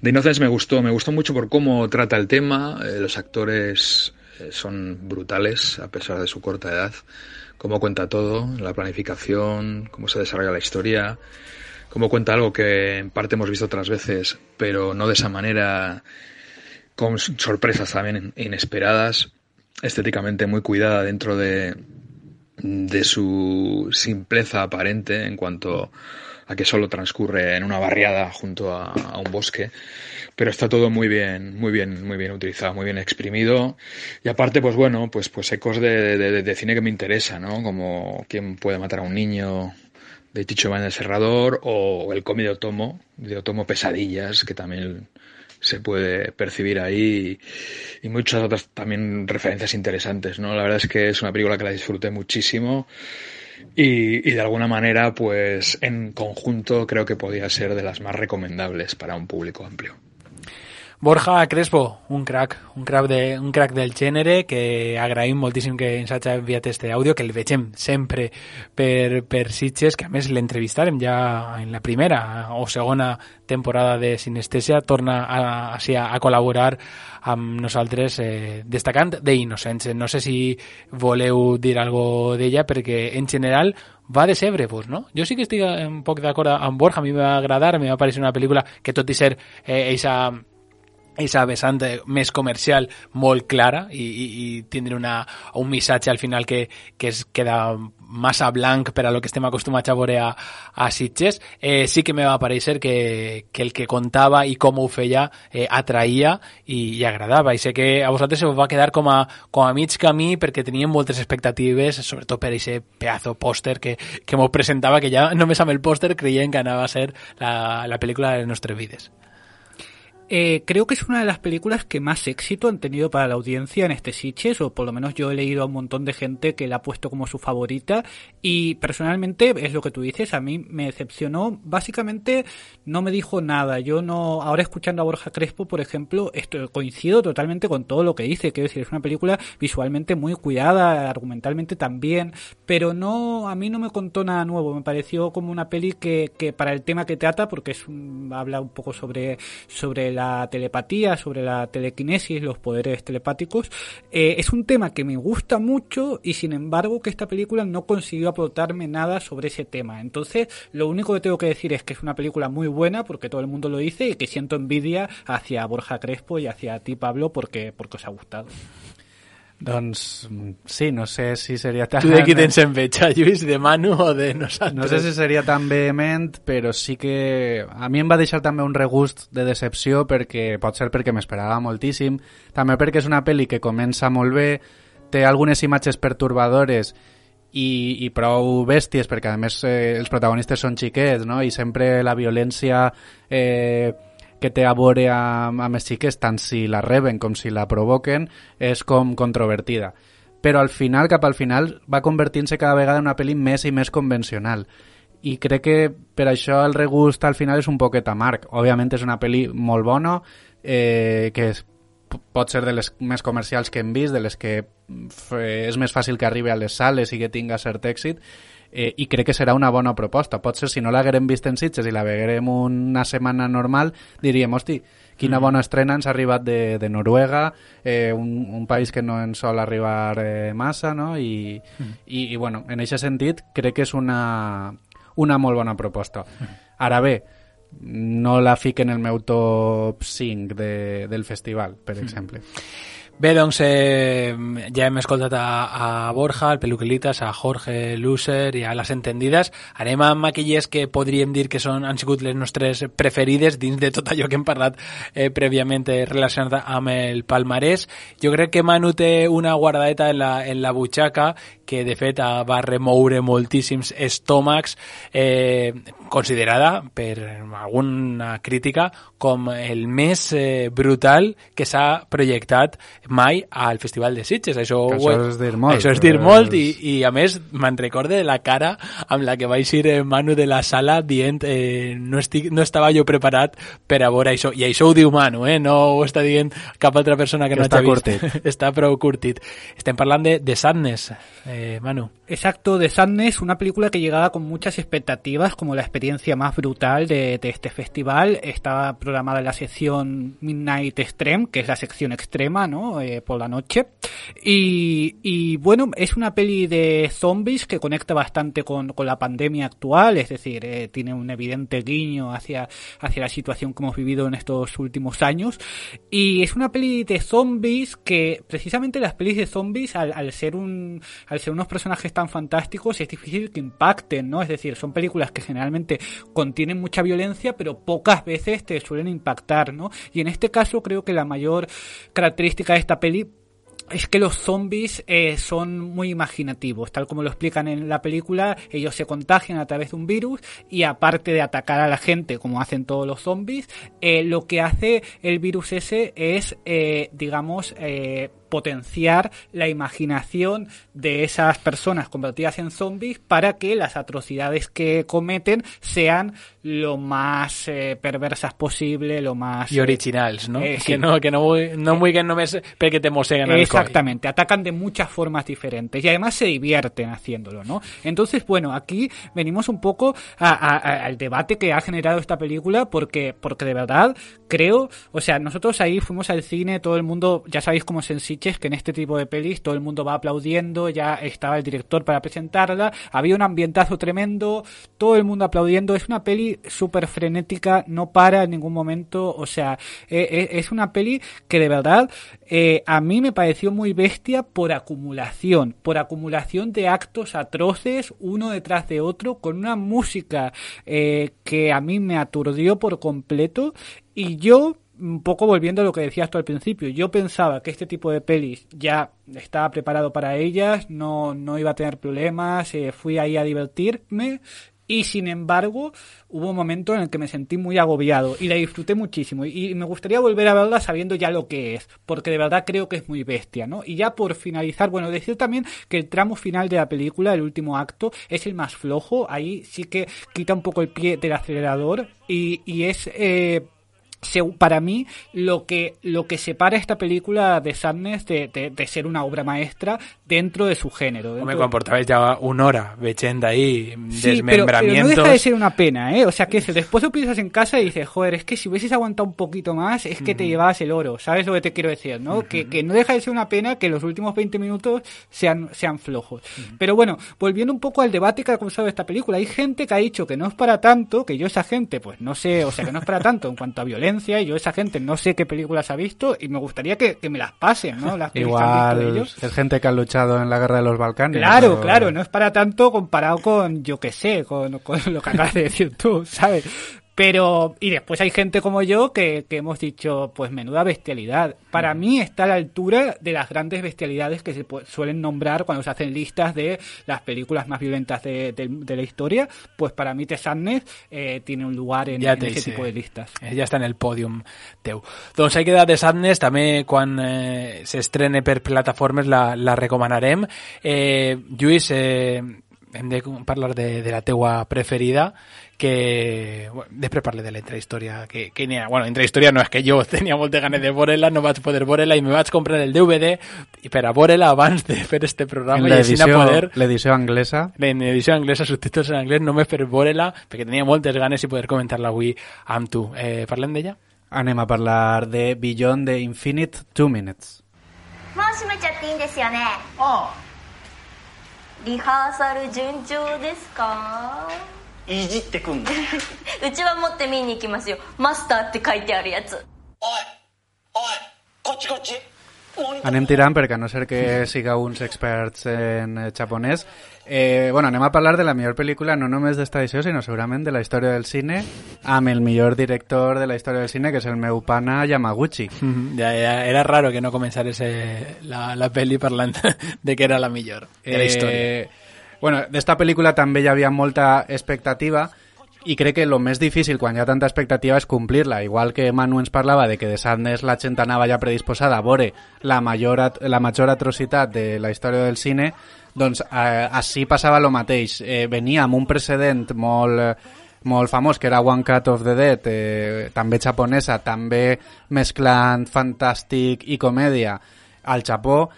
The Innocents me gustó mucho por cómo trata el tema, los actores son brutales a pesar de su corta edad, cómo cuenta todo, la planificación, cómo se desarrolla la historia, cómo cuenta algo que en parte hemos visto otras veces, pero no de esa manera, con sorpresas también inesperadas, estéticamente muy cuidada dentro de su simpleza aparente en cuanto a que solo transcurre en una barriada junto a un bosque, pero está todo muy bien utilizado, muy bien exprimido, y aparte pues bueno, pues ecos de cine que me interesa, ¿no? Como ¿Quién puede matar a un niño?, de Chicho Iván el Serrador, o el cómic de Otomo Pesadillas, que también se puede percibir ahí, y muchas otras también referencias interesantes, ¿no? La verdad es que es una película que la disfruté muchísimo y de alguna manera, pues en conjunto creo que podía ser de las más recomendables para un público amplio. Borja Crespo, un crack del gènere, que agraïm moltíssim que ens hagi enviat este àudio, que el vegem sempre per Sitges, que a més l'entrevistarem ja en la primera o segona temporada de Sinestèsia, torna a col·laborar amb nosaltres, destacant The Innocents. No sé si voleu dir alguna d'ella, perquè en general va decebre-vos, no? Jo sí que estic un poc d'acord amb Borja, a mi m'ha agradat, a mi m'ha parecer una pel·lícula que tot i ser eixa esa vessant més comercial molt clara i tindre un missatge al final que es queda massa blanc per a lo que estem acostumats a veure a Sitges. Sí que me va aparèixer que el que contava i com ho feia atraïa i agradava, i sé que a vosaltres se us va quedar com a mig camí perquè teníem moltes expectatives, sobretot per aquest pedazo pòster que m'ho presentava, que ja només amb el pòster creien que anava a ser la pel·lícula de les nostres vides. Creo que es una de las películas que más éxito han tenido para la audiencia en este Sitges, o por lo menos yo he leído a un montón de gente que la ha puesto como su favorita, y personalmente es lo que tú dices, a mí me decepcionó, básicamente no me dijo nada. Yo no, ahora escuchando a Borja Crespo, por ejemplo, coincido totalmente con todo lo que dice, quiero decir, es una película visualmente muy cuidada, argumentalmente también, pero no, a mí no me contó nada nuevo, me pareció como una peli que para el tema que trata, porque habla un poco sobre la telepatía, sobre la telequinesis, los poderes telepáticos, es un tema que me gusta mucho y sin embargo que esta película no consiguió aportarme nada sobre ese tema. Entonces lo único que tengo que decir es que es una película muy buena porque todo el mundo lo dice y que siento envidia hacia Borja Crespo y hacia ti, Pablo, porque os ha gustado. Doncs sí, no sé si seria tan... Tu de qui tens enveja, Lluís? De Manu o de nosaltres? No sé si seria tan vehement, però sí que a mi em va deixar també un regust de decepció, perquè pot ser perquè m'esperava moltíssim, també perquè és una pel·li que comença molt bé, té algunes imatges pertorbadores i prou bèsties, perquè a més els protagonistes són xiquets, no? I sempre la violència que té a veure amb els xiquets, tant si la reben com si la provoquen, és com controvertida. Però al final, cap al final, va convertint-se cada vegada en una pel·li més i més convencional. I crec que per això el regust al final és un poquet amarg. Òbviament és una pel·li molt bona, que pot ser de les més comercials que hem vist, de les que és més fàcil que arribi a les sales i que tinga cert èxit, i crec que serà una bona proposta. Potser si no l'haguérem vist en Sitges i la veurem una setmana normal, diríem, hosti, quina bona estrena ens ha arribat de Noruega, un país que no ens sol arribar massa, no? I bueno, en aquest sentit crec que és una molt bona proposta. Ara bé, no la fic en el meu top 5 del festival, per exemple. Bé, doncs ja hem escoltat a Borja, al Peluquelitas, a Jorge Luser i a Les Entendides. Anem amb aquelles que podríem dir que han sigut les nostres preferides dins de tot allò que hem parlat prèviament relacionat amb el palmarès. Jo crec que Manu té una guardadeta en la butxaca que de fet va remoure moltíssims estómacs, considerada per alguna crítica com el més brutal que s'ha projectat mai al Festival de Sitges. Això és dir molt. Això és dir molt i a més me'n recorde de la cara amb la que vaig ir Manu de la sala dient no estava jo preparat per a veure això. I això ho diu Manu, no ho està dient cap altra persona que no hagi vist. Curtit. Està prou curtit. Estem parlant de Sadness, Manu. Exacto, de Sadness, una película que llegaba con muchas expectativas como la experiencia más brutal de este festival. Estaba programada en la sección Midnight Extreme, que es la sección extrema, ¿no? Por la noche. Y bueno, es una peli de zombies que conecta bastante con la pandemia actual, es decir, tiene un evidente guiño hacia la situación que hemos vivido en estos últimos años. Y es una peli de zombies que, precisamente las pelis de zombies, al ser unos personajes tan fantásticos, es difícil que impacten, ¿no? Es decir, son películas que generalmente contienen mucha violencia, pero pocas veces te suelen impactar, ¿no? Y en este caso creo que la mayor característica de esta peli es que los zombies son muy imaginativos, tal como lo explican en la película. Ellos se contagian a través de un virus y, aparte de atacar a la gente como hacen todos los zombies, lo que hace el virus ese es, potenciar la imaginación de esas personas convertidas en zombies para que las atrocidades que cometen sean lo más perversas posible, lo más... Y originals, ¿no? Sí. Que no vulguin només perquè te mosseguen el coll. Exactamente, atacan de muchas formas diferentes y además se divierten haciéndolo, ¿no? Entonces, bueno, aquí venimos un poco al debate que ha generado esta película porque de verdad creo, o sea, nosotros ahí fuimos al cine, todo el mundo, ya sabéis cómo es en Sitges, Sitges, que en este tipo de pelis todo el mundo va aplaudiendo, ya estaba el director para presentarla, había un ambientazo tremendo, todo el mundo aplaudiendo. Es una peli súper frenética, no para en ningún momento, o sea, es una peli que de verdad a mí me pareció muy bestia por acumulación de actos atroces uno detrás de otro, con una música que a mí me aturdió por completo. Y yo, un poco volviendo a lo que decías tú al principio, yo pensaba que este tipo de pelis ya estaba preparado para ellas, no iba a tener problemas, fui ahí a divertirme. Y sin embargo, hubo un momento en el que me sentí muy agobiado y la disfruté muchísimo. Y me gustaría volver a verla sabiendo ya lo que es, porque de verdad creo que es muy bestia, ¿no? Y ya por finalizar, bueno, decir también que el tramo final de la película, el último acto, es el más flojo. Ahí sí que quita un poco el pie del acelerador y es... para mí lo que separa esta película de Sadness de ser una obra maestra dentro de su género. Me comportabais ya una hora veient ahí sí, desmembramientos. Pero no deja de ser una pena, ¿eh? O sea, que después lo piensas en casa y dices, joder, es que si hubieses aguantado un poquito más, es que te llevabas el oro. ¿Sabes lo que te quiero decir, no? Que no deja de ser una pena que los últimos 20 minutos sean flojos. Pero bueno, volviendo un poco al debate que ha causado esta película, hay gente que ha dicho que no es para tanto, que yo esa gente, pues no sé, o sea, que no es para tanto en cuanto a violencia. Y yo esa gente no sé qué películas ha visto y me gustaría que me las pasen, ¿no? Las igual que han visto ellos. Es gente que ha luchado en la guerra de los Balcanes. Claro, no es para tanto comparado con, yo qué sé, con lo que acabas de decir tú, ¿sabes? Pero, y después hay gente como yo que hemos dicho, pues menuda bestialidad. Para mí está a la altura de las grandes bestialidades que se suelen nombrar cuando se hacen listas de las películas más violentas de la historia. Pues para mí The Sadness tiene un lugar en ese tipo de listas. Ja està en el pòdium teu. Doncs ahí queda The Sadness, també quan s'estrene per plataformes la recomanarem. Lluís, hem de parlar de la teua preferida, que després parle de la intrahistòria que n'hi ha. Bueno, intrahistòria no, és que jo tenia moltes ganes de veure-la, no vaig poder veure-la i me vaig comprar el DVD per a veure-la abans de fer este programa. L'edició anglesa. En edició anglesa, subtítols en anglès, només per veure-la, perquè tenia moltes ganes i poder comentar-la avui amb tu. Parlem d'ella? Anem a parlar de Beyond the Infinite 2 Minutes. もう閉めちゃっていいんですよね。ああ。リハーサル順調ですか？いじってくんの。うちは持って見に行きますよ。マスターって書いてあるやつ。おい、こっちこっち。Anem tirant perquè a no ser que sigueu uns experts en japonès. Bueno, anem a parlar de la millor pel·lícula no només d'esta edició, sinó segurament de la història del cine, amb el millor director de la història del cine, que és el meu pana Yamaguchi. Ja, era raro que no començares la pel·li parlant de que era la millor de la història. Bueno, d'esta pel·lícula també hi havia molta expectativa, i crec que el més difícil quan hi ha tanta expectativa és complir-la. Igual que Manu ens parlava de que de Sadness la gent anava ja predisposada a veure la major atrocitat de la història del cine, doncs així passava el mateix. Venia amb un precedent molt famós, que era One Cut of the Dead, també japonesa, també mesclant fantàstic i comèdia al Japó,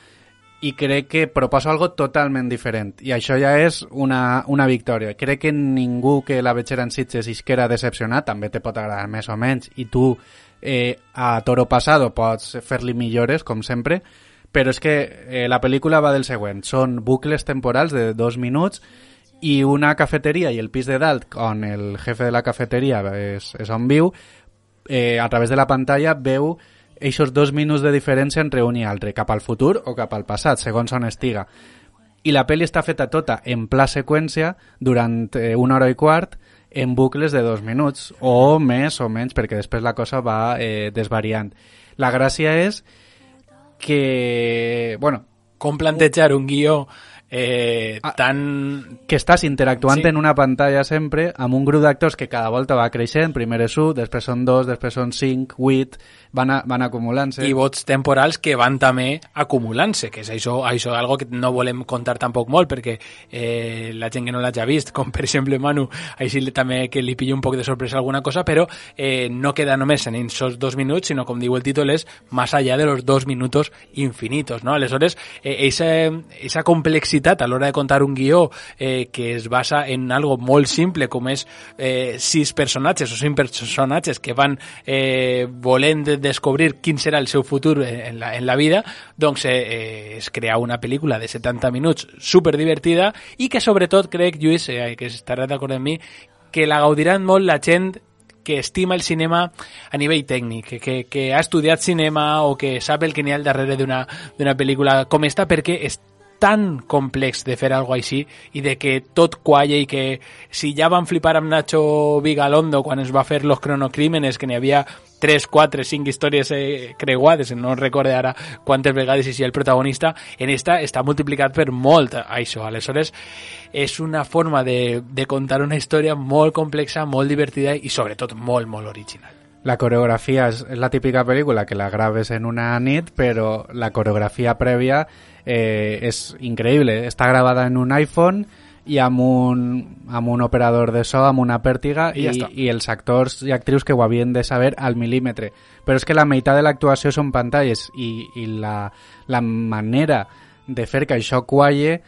i crec que proposa algo totalment diferent, i això ja és una victòria. Crec que ningú que la vegera en Sitges isquera decepcionat, també te pot agradar més o menys, i tu a Toro Pasado pots fer-li millores, com sempre, però és que la pel·lícula va del següent. Són bucles temporals de 2 minuts i una cafeteria i el pis de dalt, on el jefe de la cafeteria és on viu, a través de la pantalla veu eixos 2 minuts de diferència entre un i altre, cap al futur o cap al passat, segons on estiga. I la pel·li està feta tota en pla seqüència durant 1 hora i quart en bucles de 2 minuts, o més o menys, perquè després la cosa va desvariant. La gràcia és que, bueno... Com plantejar un guió tan... Que estàs interactuant en una pantalla sempre amb un grup d'actors que cada volta va creixent, primer és 1, després són 2, després són 5, 8, van acumulant-se. I vots temporals que van també acumulant-se, que és això algo que no volem contar tampoc molt, perquè la gent que no l'hagi vist, com per exemple Manu, així també que li pilla un poc de sorpresa alguna cosa, però no queda només en esos 2 minuts, sinó, com diu el títol, és más allá de los 2 minutos infinitos, ¿no? Aleshores, esa complexitat complexitat a l'hora de contar un guió que es basa en algo molt simple com és 6 personatges o 5 personatges que van volent descobrir quin serà el seu futur en la vida, doncs es crea una pel·lícula de 70 minuts superdivertida i que sobretot crec, Lluís, que estaràs d'acord amb mi, que la gaudiran molt la gent que estima el cinema a nivell tècnic, que ha estudiat cinema o que sap el que n'hi ha al darrere d'una pel·lícula com esta, perquè és tan complex de fer alguna cosa així i de que tot qualla i que si ja van flipar amb Nacho Vigalondo quan es va fer Los Cronocrímenes, que n'hi havia 3, 4, 5 històries creuades, no recordo ara quantes vegades hi el protagonista, en esta està multiplicat per molt això. Aleshores, és una forma de contar una història molt complexa, molt divertida i sobretot molt, molt original. La coreografia és la típica pel·lícula que la graves en una nit, però la coreografia prèvia és increïble. Està gravada en un iPhone i amb un operador de so, amb una pèrtiga i els actors i actrius que ho havien de saber al mil·límetre. Però és que la meitat de l'actuació són pantalles i la manera de fer que això qualle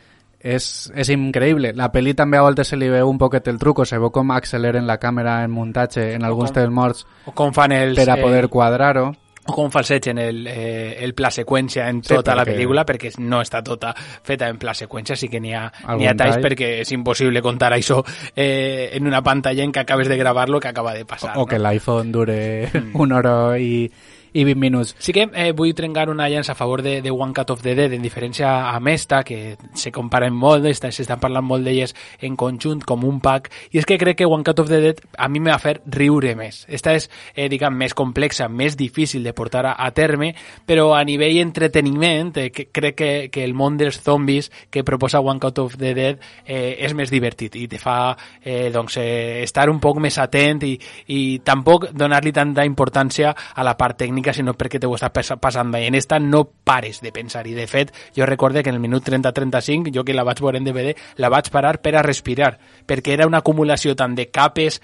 és increïble. La pel·li també a voltes se li veu un poquet el truco, se veu com acceleren la càmera en muntatge en alguns dels morts o com fan els, per a poder quadrar-ho. O com falsegen el pla seqüència en tota la pel·lícula, perquè no està tota feta en pla seqüència, sí que n'hi ha talls perquè és impossible contar això en una pantalla en què acabes de gravar-lo que acaba de passar. O que l'iPhone dure una hora i 20 minuts. Sí que vull trencar una llança a favor de One Cut of the Dead, en diferència a Mesta, que se comparen molt, s'estan parlant molt d'elles en conjunt, com un pack, i és que crec que One Cut of the Dead a mi me va fer riure més. Esta és, diguem, més complexa, més difícil de portar a terme, però a nivell entreteniment, crec que el món dels zombis que proposa One Cut of the Dead és més divertit i te fa estar un poc més atent i tampoc donar-li tanta importància a la part tècnica, sinó perquè te ho estàs passant bé. En esta no pares de pensar i de fet jo recorde que en el minut 30-35 jo que la vaig veure en DVD la vaig parar per a respirar perquè era una acumulació tant de capes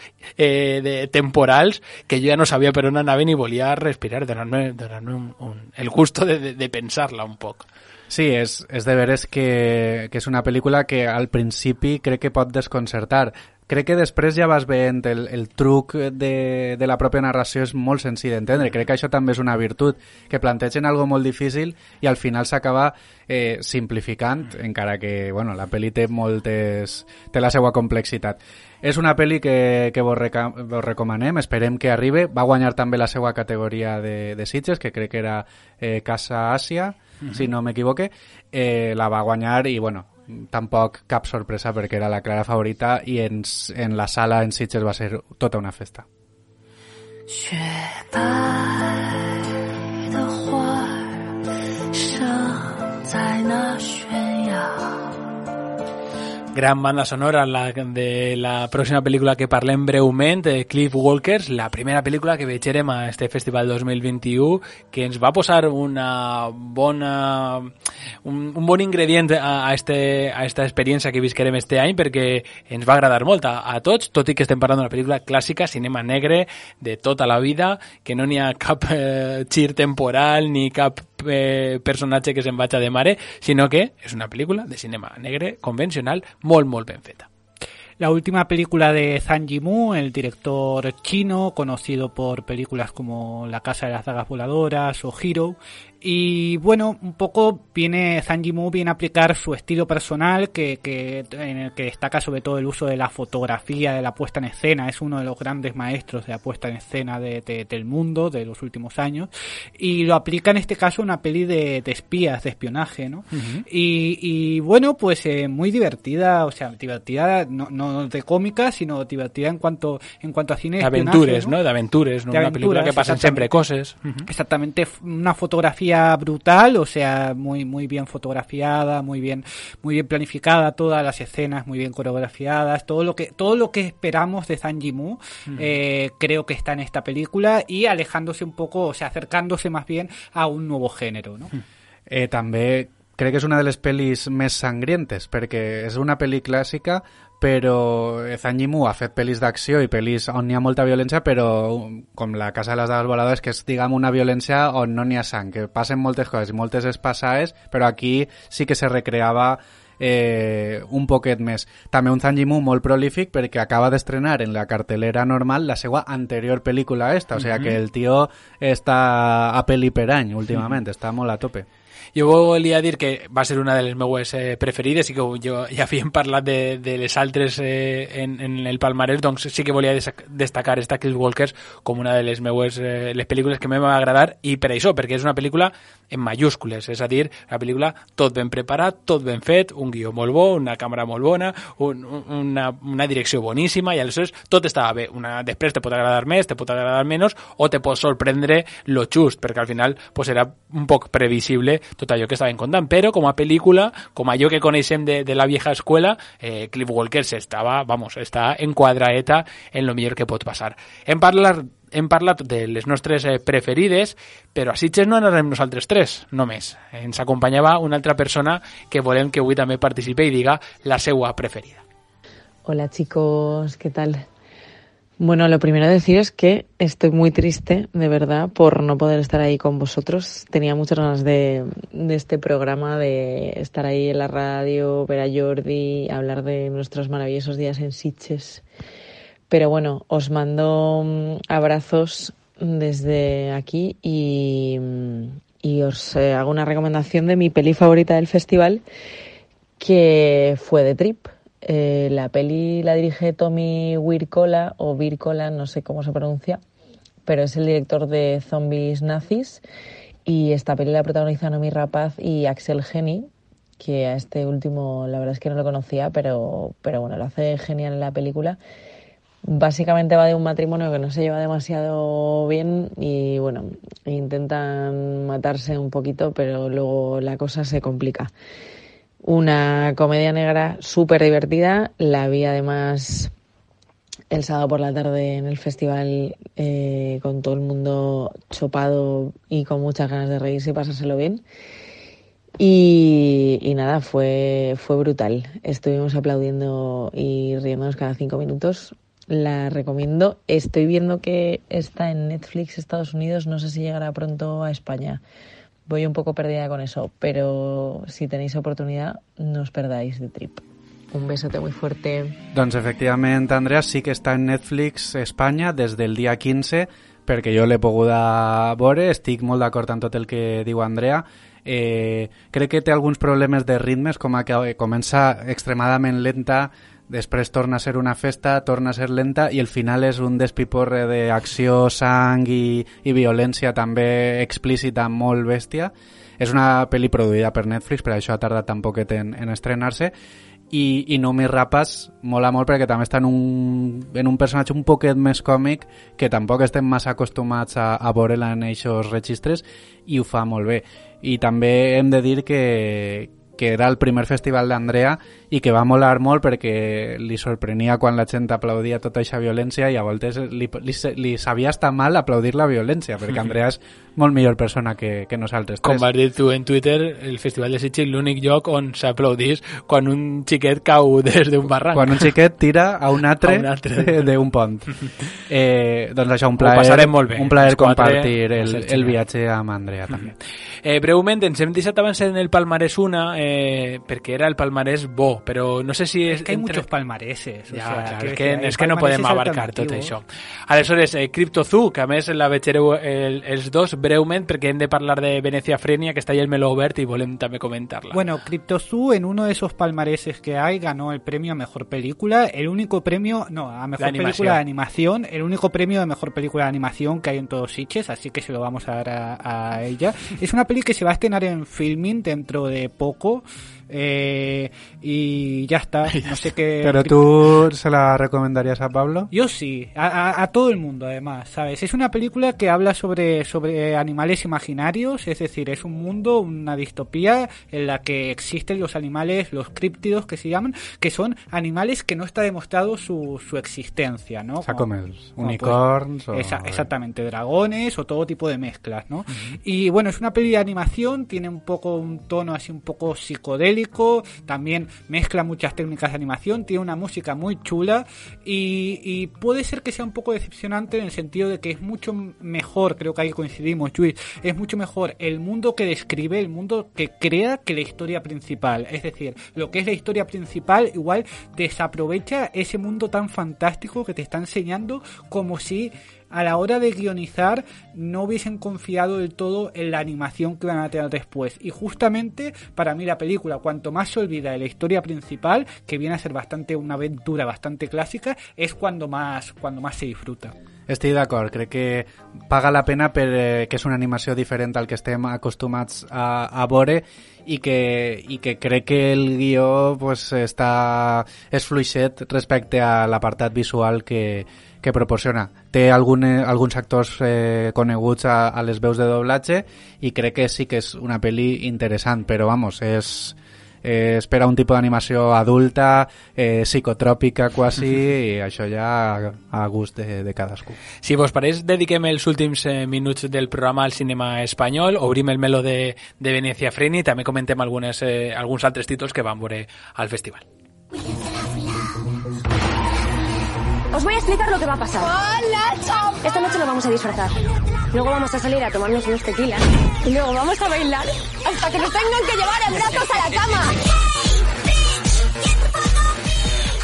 temporals que jo ja no sabia per on anaven i volia respirar, donar-me el gusto de pensar-la un poc. Sí, és de veres que és una pel·lícula que al principi crec que pot desconcertar. Crec que després ja vas veient el truc de la pròpia narració és molt senzill d'entendre. Crec que això també és una virtut, que plantegen algo molt difícil i al final s'acaba simplificant, encara que la pel·li té la seva complexitat. És una pel·li que vos recomanem, esperem que arribe. Va guanyar també la seva categoria de Sitges, que crec que era Casa Àsia, si no m'equivoque. La va guanyar i, tampoc cap sorpresa perquè era la clara favorita i en la sala en Sitges va ser tota una festa. Gran banda sonora de la pròxima pel·lícula que parlem breument, Cliff Walkers, la primera pel·lícula que veurem a este Festival 2021, que ens va posar un bon ingredient a esta experiència que visquerem este any, perquè ens va agradar molt a tots, tot i que estem parlant d'una pel·lícula clàssica, cinema negre, de tota la vida, que no n'hi ha cap gir temporal ni cap personatge que se'n vaig de mare, sinó que és una pel·lícula de cinema negre convencional molt, molt ben feta. La última película de Zhang Yimou, el director chino, conocido por películas como La Casa de las Dagas Voladoras o Hero. Y un poco Zhang Yimou viene a aplicar su estilo personal en el que destaca sobre todo el uso de la fotografía, de la puesta en escena. Es uno de los grandes maestros de la puesta en escena del mundo de los últimos años. Y lo aplica en este caso una peli de espías, de espionaje, ¿no? Uh-huh. Y muy divertida, divertida, no de cómica, sino divertida en cuanto a cine de aventures, ¿no? De aventures, ¿no? Una película que pasan siempre cosas. Uh-huh. Exactamente, una fotografía brutal, muy bien fotografiada, muy bien planificada, todas las escenas muy bien coreografiadas, todo lo que esperamos de Zhang Yimou, creo que está en esta película y alejándose un poco, acercándose más bien a un nuevo género, ¿no? També crec que és una de les pel·lis més sangrientes, perquè és una pel·li clàssica, però Zhang Yimou ha fet pel·lis d'acció i pel·lis on hi ha molta violència, però com La Casa de les Dagas Voladores, que és, una violència on no n'hi ha sang, que passen moltes coses i moltes espassades, però aquí sí que se recreava un poquet més. També un Zhang Yimou molt prolífic perquè acaba d'estrenar en la cartelera normal la seva anterior pel·lícula esta, o sea que el tio està a pel·li per any últimament, està molt a tope. Jo volia dir que va ser una de les meues preferides i que jo ja havíem parlat de les altres en el palmarès, doncs sí que volia destacar esta Kill Walkers com una de les meues les pel·lícules que m'ha agradar, i per això, perquè és una pel·lícula en mayúscules, és a dir, una pel·lícula tot ben preparat, tot ben fet, un guió molt bo, una càmera molt bona, una direcció boníssima, i aleshores tot estava bé. Després te pot agradar més, te pot agradar menys, o te pot sorprendre lo just, perquè al final pues, era un poc previsible tot allò que estaven contant, però com a pel·lícula, com allò que coneixem de la vieja escuela, Cliff Walker està enquadraeta en lo millor que pot passar. Hem parlat de les nostres preferides, però a Sitges no anarem nosaltres tres, només. Ens acompanyava una altra persona que volem que avui també participi i diga la seva preferida. Hola chicos, ¿qué tal? Bueno, lo primero decir es que estoy muy triste, de verdad, por no poder estar ahí con vosotros. Tenía muchas ganas de este programa, de estar ahí en la radio, ver a Jordi, hablar de nuestros maravillosos días en Sitges. Pero bueno, os mando abrazos desde aquí y os hago una recomendación de mi peli favorita del festival, que fue The Trip. La peli la dirige Tommy Wirkola, o Wirkola, no sé cómo se pronuncia, pero es el director de Zombies Nazis, y esta peli la protagoniza Noomi Rapaz y Axel Henny, que a este último la verdad es que no lo conocía, pero bueno, lo hace genial en la película. Básicamente va de un matrimonio que no se lleva demasiado bien y bueno, intentan matarse un poquito, pero luego la cosa se complica. Una comedia negra súper divertida. La vi además el sábado por la tarde en el festival con todo el mundo chopado y con muchas ganas de reírse y pasárselo bien. Y nada, fue brutal. Estuvimos aplaudiendo y riéndonos cada 5 minutos. La recomiendo. Estoy viendo que está en Netflix Estados Unidos. No sé si llegará pronto a España. Voy un poco perdida con eso, pero si tenéis oportunidad, no os perdáis The Trip. Un besote muy fuerte. Doncs efectivament, Andrea, sí que està en Netflix Espanya des del dia 15, perquè jo l'he pogut veure, estic molt d'acord amb tot el que diu Andrea. Crec que té alguns problemes de ritmes, com que comença extremadament lenta, després torna a ser una festa, torna a ser lenta, i el final és un despiporre d'acció, sang i violència també explícita, molt bèstia. És una pel·li produïda per Netflix, per això ha tardat tan poquet en estrenar-se, i Noomi Rapace mola molt perquè també està en un personatge un poquet més còmic, que tampoc estem massa acostumats a veure-la en aquests registres, i ho fa molt bé. I també hem de dir que era el primer festival d'Andrea i que va molar molt perquè li sorprenia quan la gent aplaudia tota aquesta violència, i a voltes li sabia estar mal aplaudir la violència, perquè Andrea és molt millor persona que nosaltres tres. Com vas dir tu en Twitter, el Festival de Sitges l'únic lloc on s'aplaudís quan un xiquet cau des d'un barranc. Quan un xiquet tira a un altre d'un pont. Doncs això, un plaer compartir el viatge amb Andrea també. Breument, ens hem deixat abans en el palmarès una, perquè era el palmarès bo, però no sé si és que hay muchos palmareses, és que no podem abarcar tot això. Aleshores, CryptoZoo, que a més la vegereu els dos breument, perquè hem de parlar de Venecia Frenia, que està allà el meló obert i volem també comentar-la. Bueno, CryptoZoo, en uno de esos palmareses que hay, ganó el premio a mejor película, el único premio, a mejor película de animación, el único premio de mejor película de animación que hay en todos Sitges, así que se lo vamos a dar a ella. Es una peli que se va a estrenar en Filmin dentro de poco, y ya está, no sé qué. ¿Pero tú se la recomendarías a Pablo? Yo sí, a todo el mundo además, ¿sabes? Es una película que habla sobre animales imaginarios, es decir, es un mundo, una distopía en la que existen los animales, los críptidos que se llaman, que son animales que no está demostrado su existencia, ¿no? O sea, como unicorns pues, exactamente, dragones o todo tipo de mezclas, ¿no? Uh-huh. Y bueno, es una peli de animación, tiene un tono así un poco psicodélico, histórico, también mezcla muchas técnicas de animación, tiene una música muy chula y puede ser que sea un poco decepcionante en el sentido de que es mucho mejor, creo que ahí coincidimos, Luis, es mucho mejor el mundo que describe, el mundo que crea, que la historia principal. Es decir, lo que es la historia principal igual desaprovecha ese mundo tan fantástico que te está enseñando, como si a la hora de guionizar no hubiesen confiado del todo en la animación que van a tener después. Y justamente para mí la película, cuanto más se olvida de la historia principal, que viene a ser bastante una aventura bastante clásica, és cuando más se disfruta. Estic d'acord, crec que paga la pena perquè és una animació diferent al que estem acostumats a veure i que crec que el guió pues, és fluixet respecte a l'apartat visual que proporciona. Té alguns actors coneguts a les veus de doblatge i crec que sí que és una pel·li interessant, però vamos, és per a un tipus d'animació adulta, psicotròpica quasi, i això ja a gust de cadascú. Si vos pareix, dediquem els últims minuts del programa al cinema espanyol, obrim el meló de Venecia Freni i també comentem alguns altres títols que van veure al festival. Os voy a explicar lo que va a pasar. ¡Hola, chao! Esta noche nos vamos a disfrazar. Luego vamos a salir a tomarnos unos tequilas. Y luego vamos a bailar hasta que nos tengan que llevar en brazos a la cama.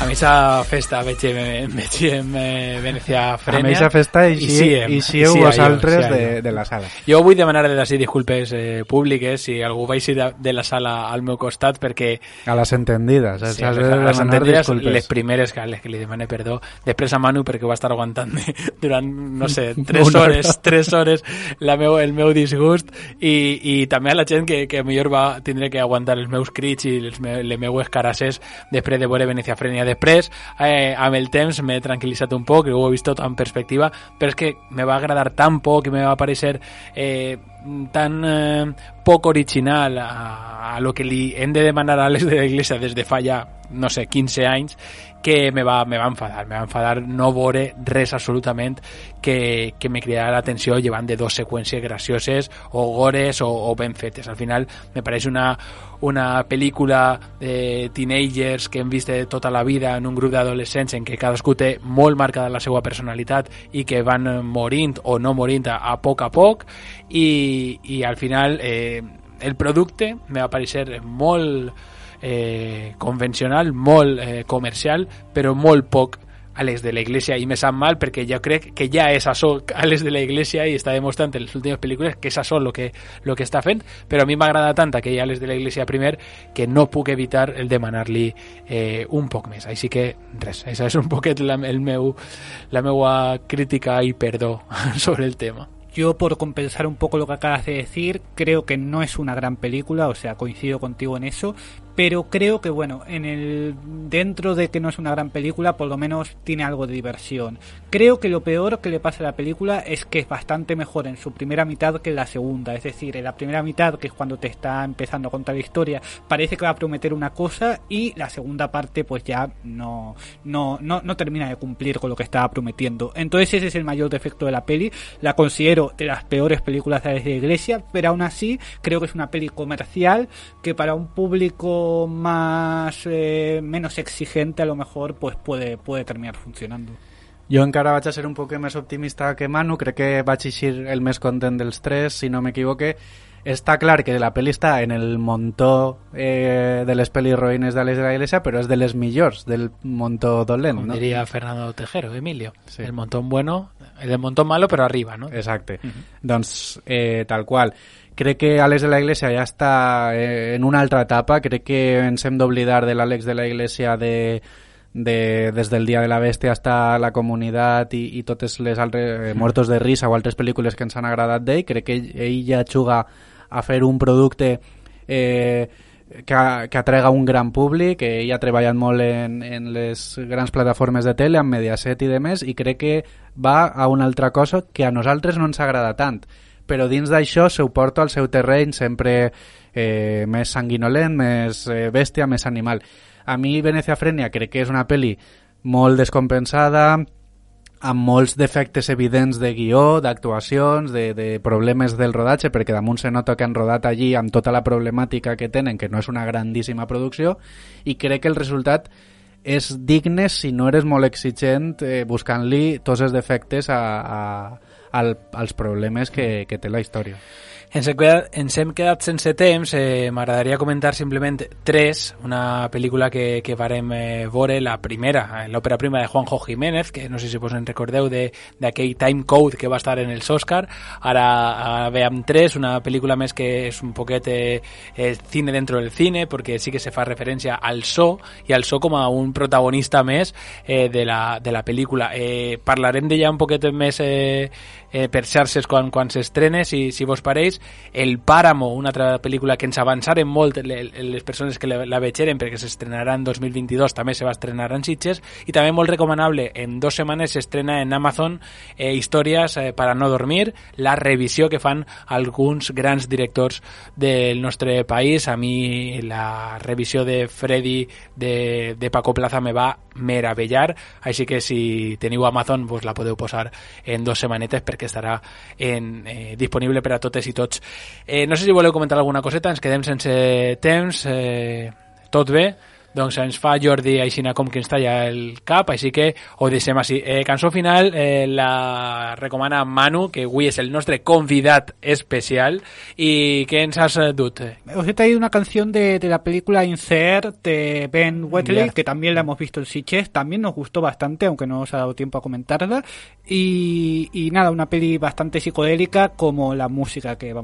A missa festa veig en Venecia Frenia. A missa festa eixieu vosaltres de la sala. Jo vull demanar d'ací disculpes públiques si algú va eixir de la sala al meu costat perquè... A les entendides. Sí, a les entendides, les primeres que li demane perdó. Després a Manu perquè va estar aguantant durant, no sé, 3 hores el meu disgust i també a la gent que millor va tindre que aguantar els meus crits i les meues carasses després de veure Venecia Frenia. Després, amb el temps m'he tranquil·litzat un poc, ho he vist tot en perspectiva, però és que me va agradar tan poc i me va parecer tan poc original a lo que li hem de demanar a Àlex de la Iglesia des de fa ja, no sé, 15 anys, que me va enfadar no veure res absolutament que me cridara l'atenció llevant de 2 seqüències gracioses o gores o ben fetes. Al final me pareix una pel·lícula de teenagers que hem vist de tota la vida en un grup d'adolescents en què cadascú té molt marcada la seva personalitat i que van morint o no morint a poc i al final el producte me va parecer molt convencional, molt comercial, però molt poc Àlex de la Iglesia, i me sap mal perquè jo crec que ja és això Àlex de la Iglesia i està demostrant en les últimes pel·lícules que és això lo que està fent, però a mi m'agrada tant aquell Àlex de la Iglesia primer que no puc evitar el demanar-li un poc més. Així que res, això és un poquet la meua crítica i perdó sobre el tema. Yo, por compensar un poco lo que acabas de decir, creo que no es una gran película, o sea, coincido contigo en eso, pero creo que, bueno, dentro de que no es una gran película, por lo menos tiene algo de diversión. Creo que lo peor que le pasa a la película es que es bastante mejor en su primera mitad que en la segunda, es decir, en la primera mitad, que es cuando te está empezando a contar la historia, parece que va a prometer una cosa y la segunda parte pues ya no termina de cumplir con lo que estaba prometiendo. Entonces ese es el mayor defecto de la peli, la considero de las peores películas de la Iglesia, pero aún así creo que es una peli comercial que para un público menos exigente a lo mejor pues puede terminar funcionando. Jo encara vaig a ser un poc més optimista que Manu, crec que vaig eixir el més content dels 3, si no m'equivoque. Està clar que la pel·li està en el montó de les pel·lis roïnes d'Àlex de la Iglesia, però és de les millors, del montó dolent, com no? diria Fernando Tejero, Emilio. Sí. El montón bueno, el montón malo, però arriba, no? Exacte. Doncs, tal qual. Crec que Àlex de la Iglesia ja està en una altra etapa. Crec que ens hem d'oblidar de l'Àlex de la Iglesia des del Dia de la Bèstia hasta La Comunitat i totes les altres Muertos de Risa o altres pel·lícules que ens han agradat d'ell. Crec que ell ja juga a fer un producte que atrega un gran públic, que ell ha treballat molt en les grans plataformes de tele, amb Mediaset i demés, i crec que va a una altra cosa que a nosaltres no ens agrada tant, però dins d'això s'ho porta al seu terreny sempre més sanguinolent, més bèstia, més animal. A mi Venecia Frenia crec que és una pel·li molt descompensada, amb molts defectes evidents de guió, d'actuacions, de problemes del rodatge, perquè damunt se nota que han rodat allí amb tota la problemàtica que tenen, que no és una grandíssima producció, i crec que el resultat és digne si no eres molt exigent buscant-li tots els defectes als problemes que té la història. Ens hem quedat sense temps. M'agradaria comentar simplement Tres, una pel·lícula que varem veure, la primera, l'òpera prima de Juanjo Jiménez, que no sé si vos en recordeu d'aquell Time Code que va estar en els Òscar. Ara veiem Tres, una pel·lícula més que és un poquet cine dentro del cine, perquè sí que se fa referència al so, i al so com a un protagonista més de la pel·lícula. Parlarem d'ella un poquet més per xarxes quan s'estrene, si vos pareix. El Páramo, una altra pel·lícula que ens avançaren molt les persones que la vegeren, perquè s'estrenarà en 2022, també se va estrenar en Sitges, i també molt recomanable, en 2 setmanes s'estrena en Amazon Històries para no dormir, la revisió que fan alguns grans directors del nostre país. A mi la revisió de Freddy de Paco Plaza me va meravellar, així que si teniu Amazon vos la podeu posar en 2 setmanetes, perquè estarà disponible per a totes i tots. No sé si voleu comentar alguna coseta, ens quedem sense temps. Tot bé? Doncs ens fa Jordi aixina com que ens talla el cap, així que ho deixem així. Cançó final la recomana Manu, que avui és el nostre convidat especial. ¿Y qué ens has dut? Os he traído una canción de la película Insert de Ben Wheatley, que también la hemos visto en Sitges, también nos gustó bastante, aunque no os ha dado tiempo a comentarla. Y nada, una peli bastante psicodélica como la música que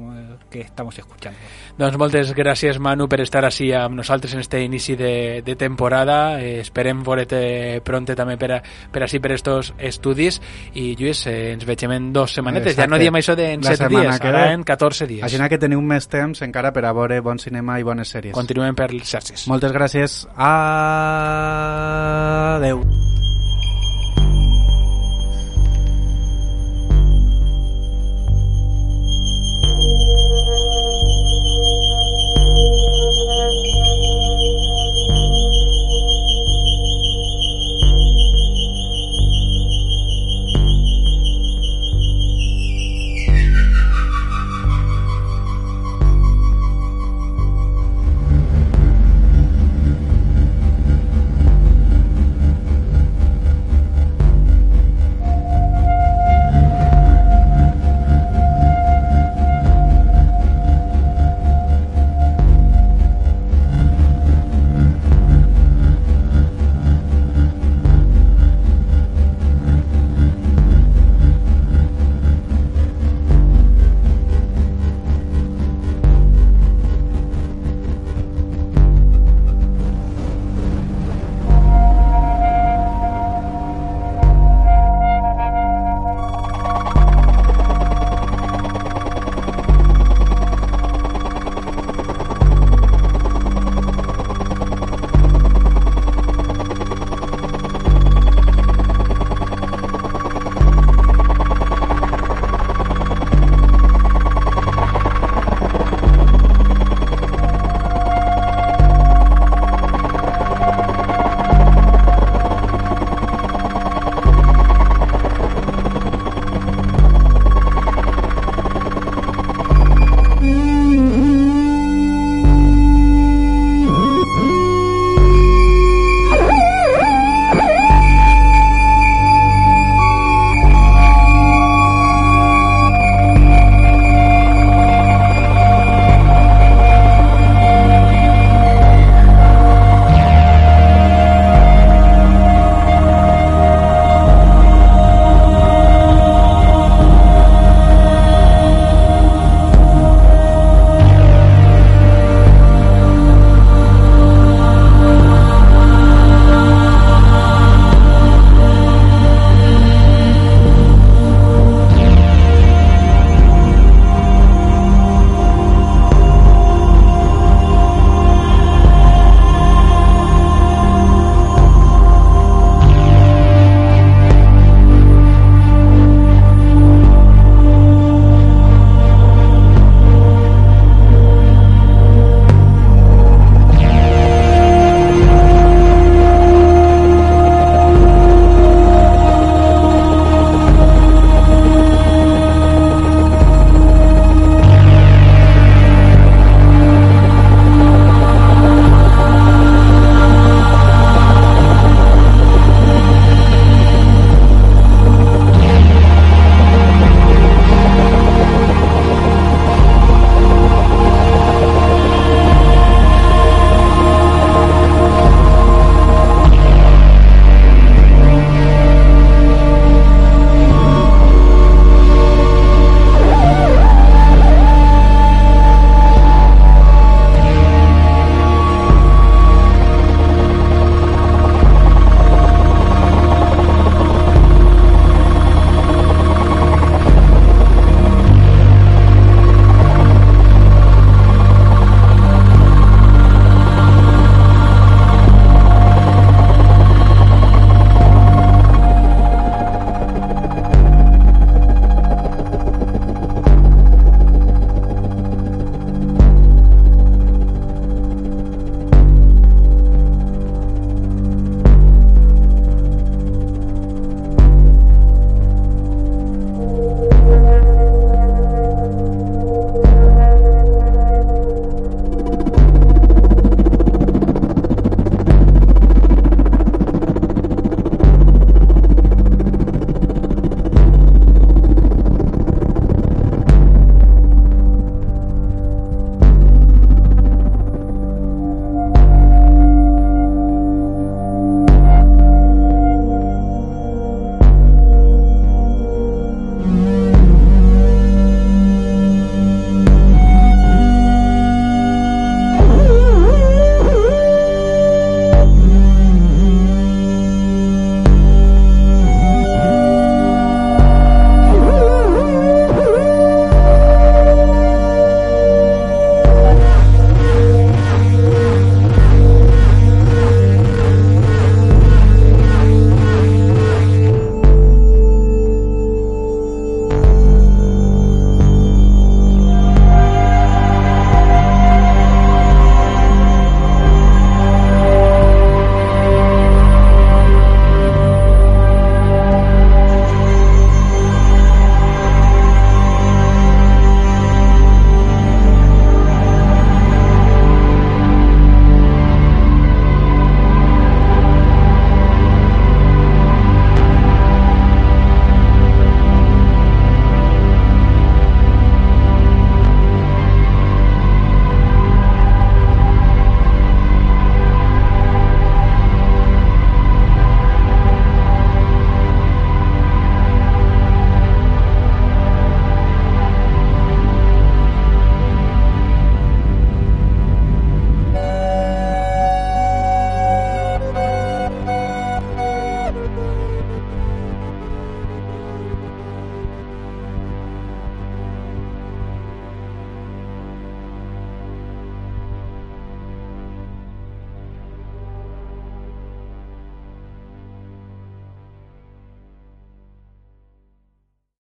estamos escuchando. Doncs moltes gràcies, Manu, per estar així amb nosaltres en este inici de temporada. Esperem veure't pronte també per estos estudis, i Lluís, ens veiem en 2 setmanetes. Exacte. Ja no diem això en 7 dies, ara en 14 dies. Així que teniu més temps encara per a veure bon cinema i bones sèries. Continuem per les xarxes. Moltes gràcies. Adeu.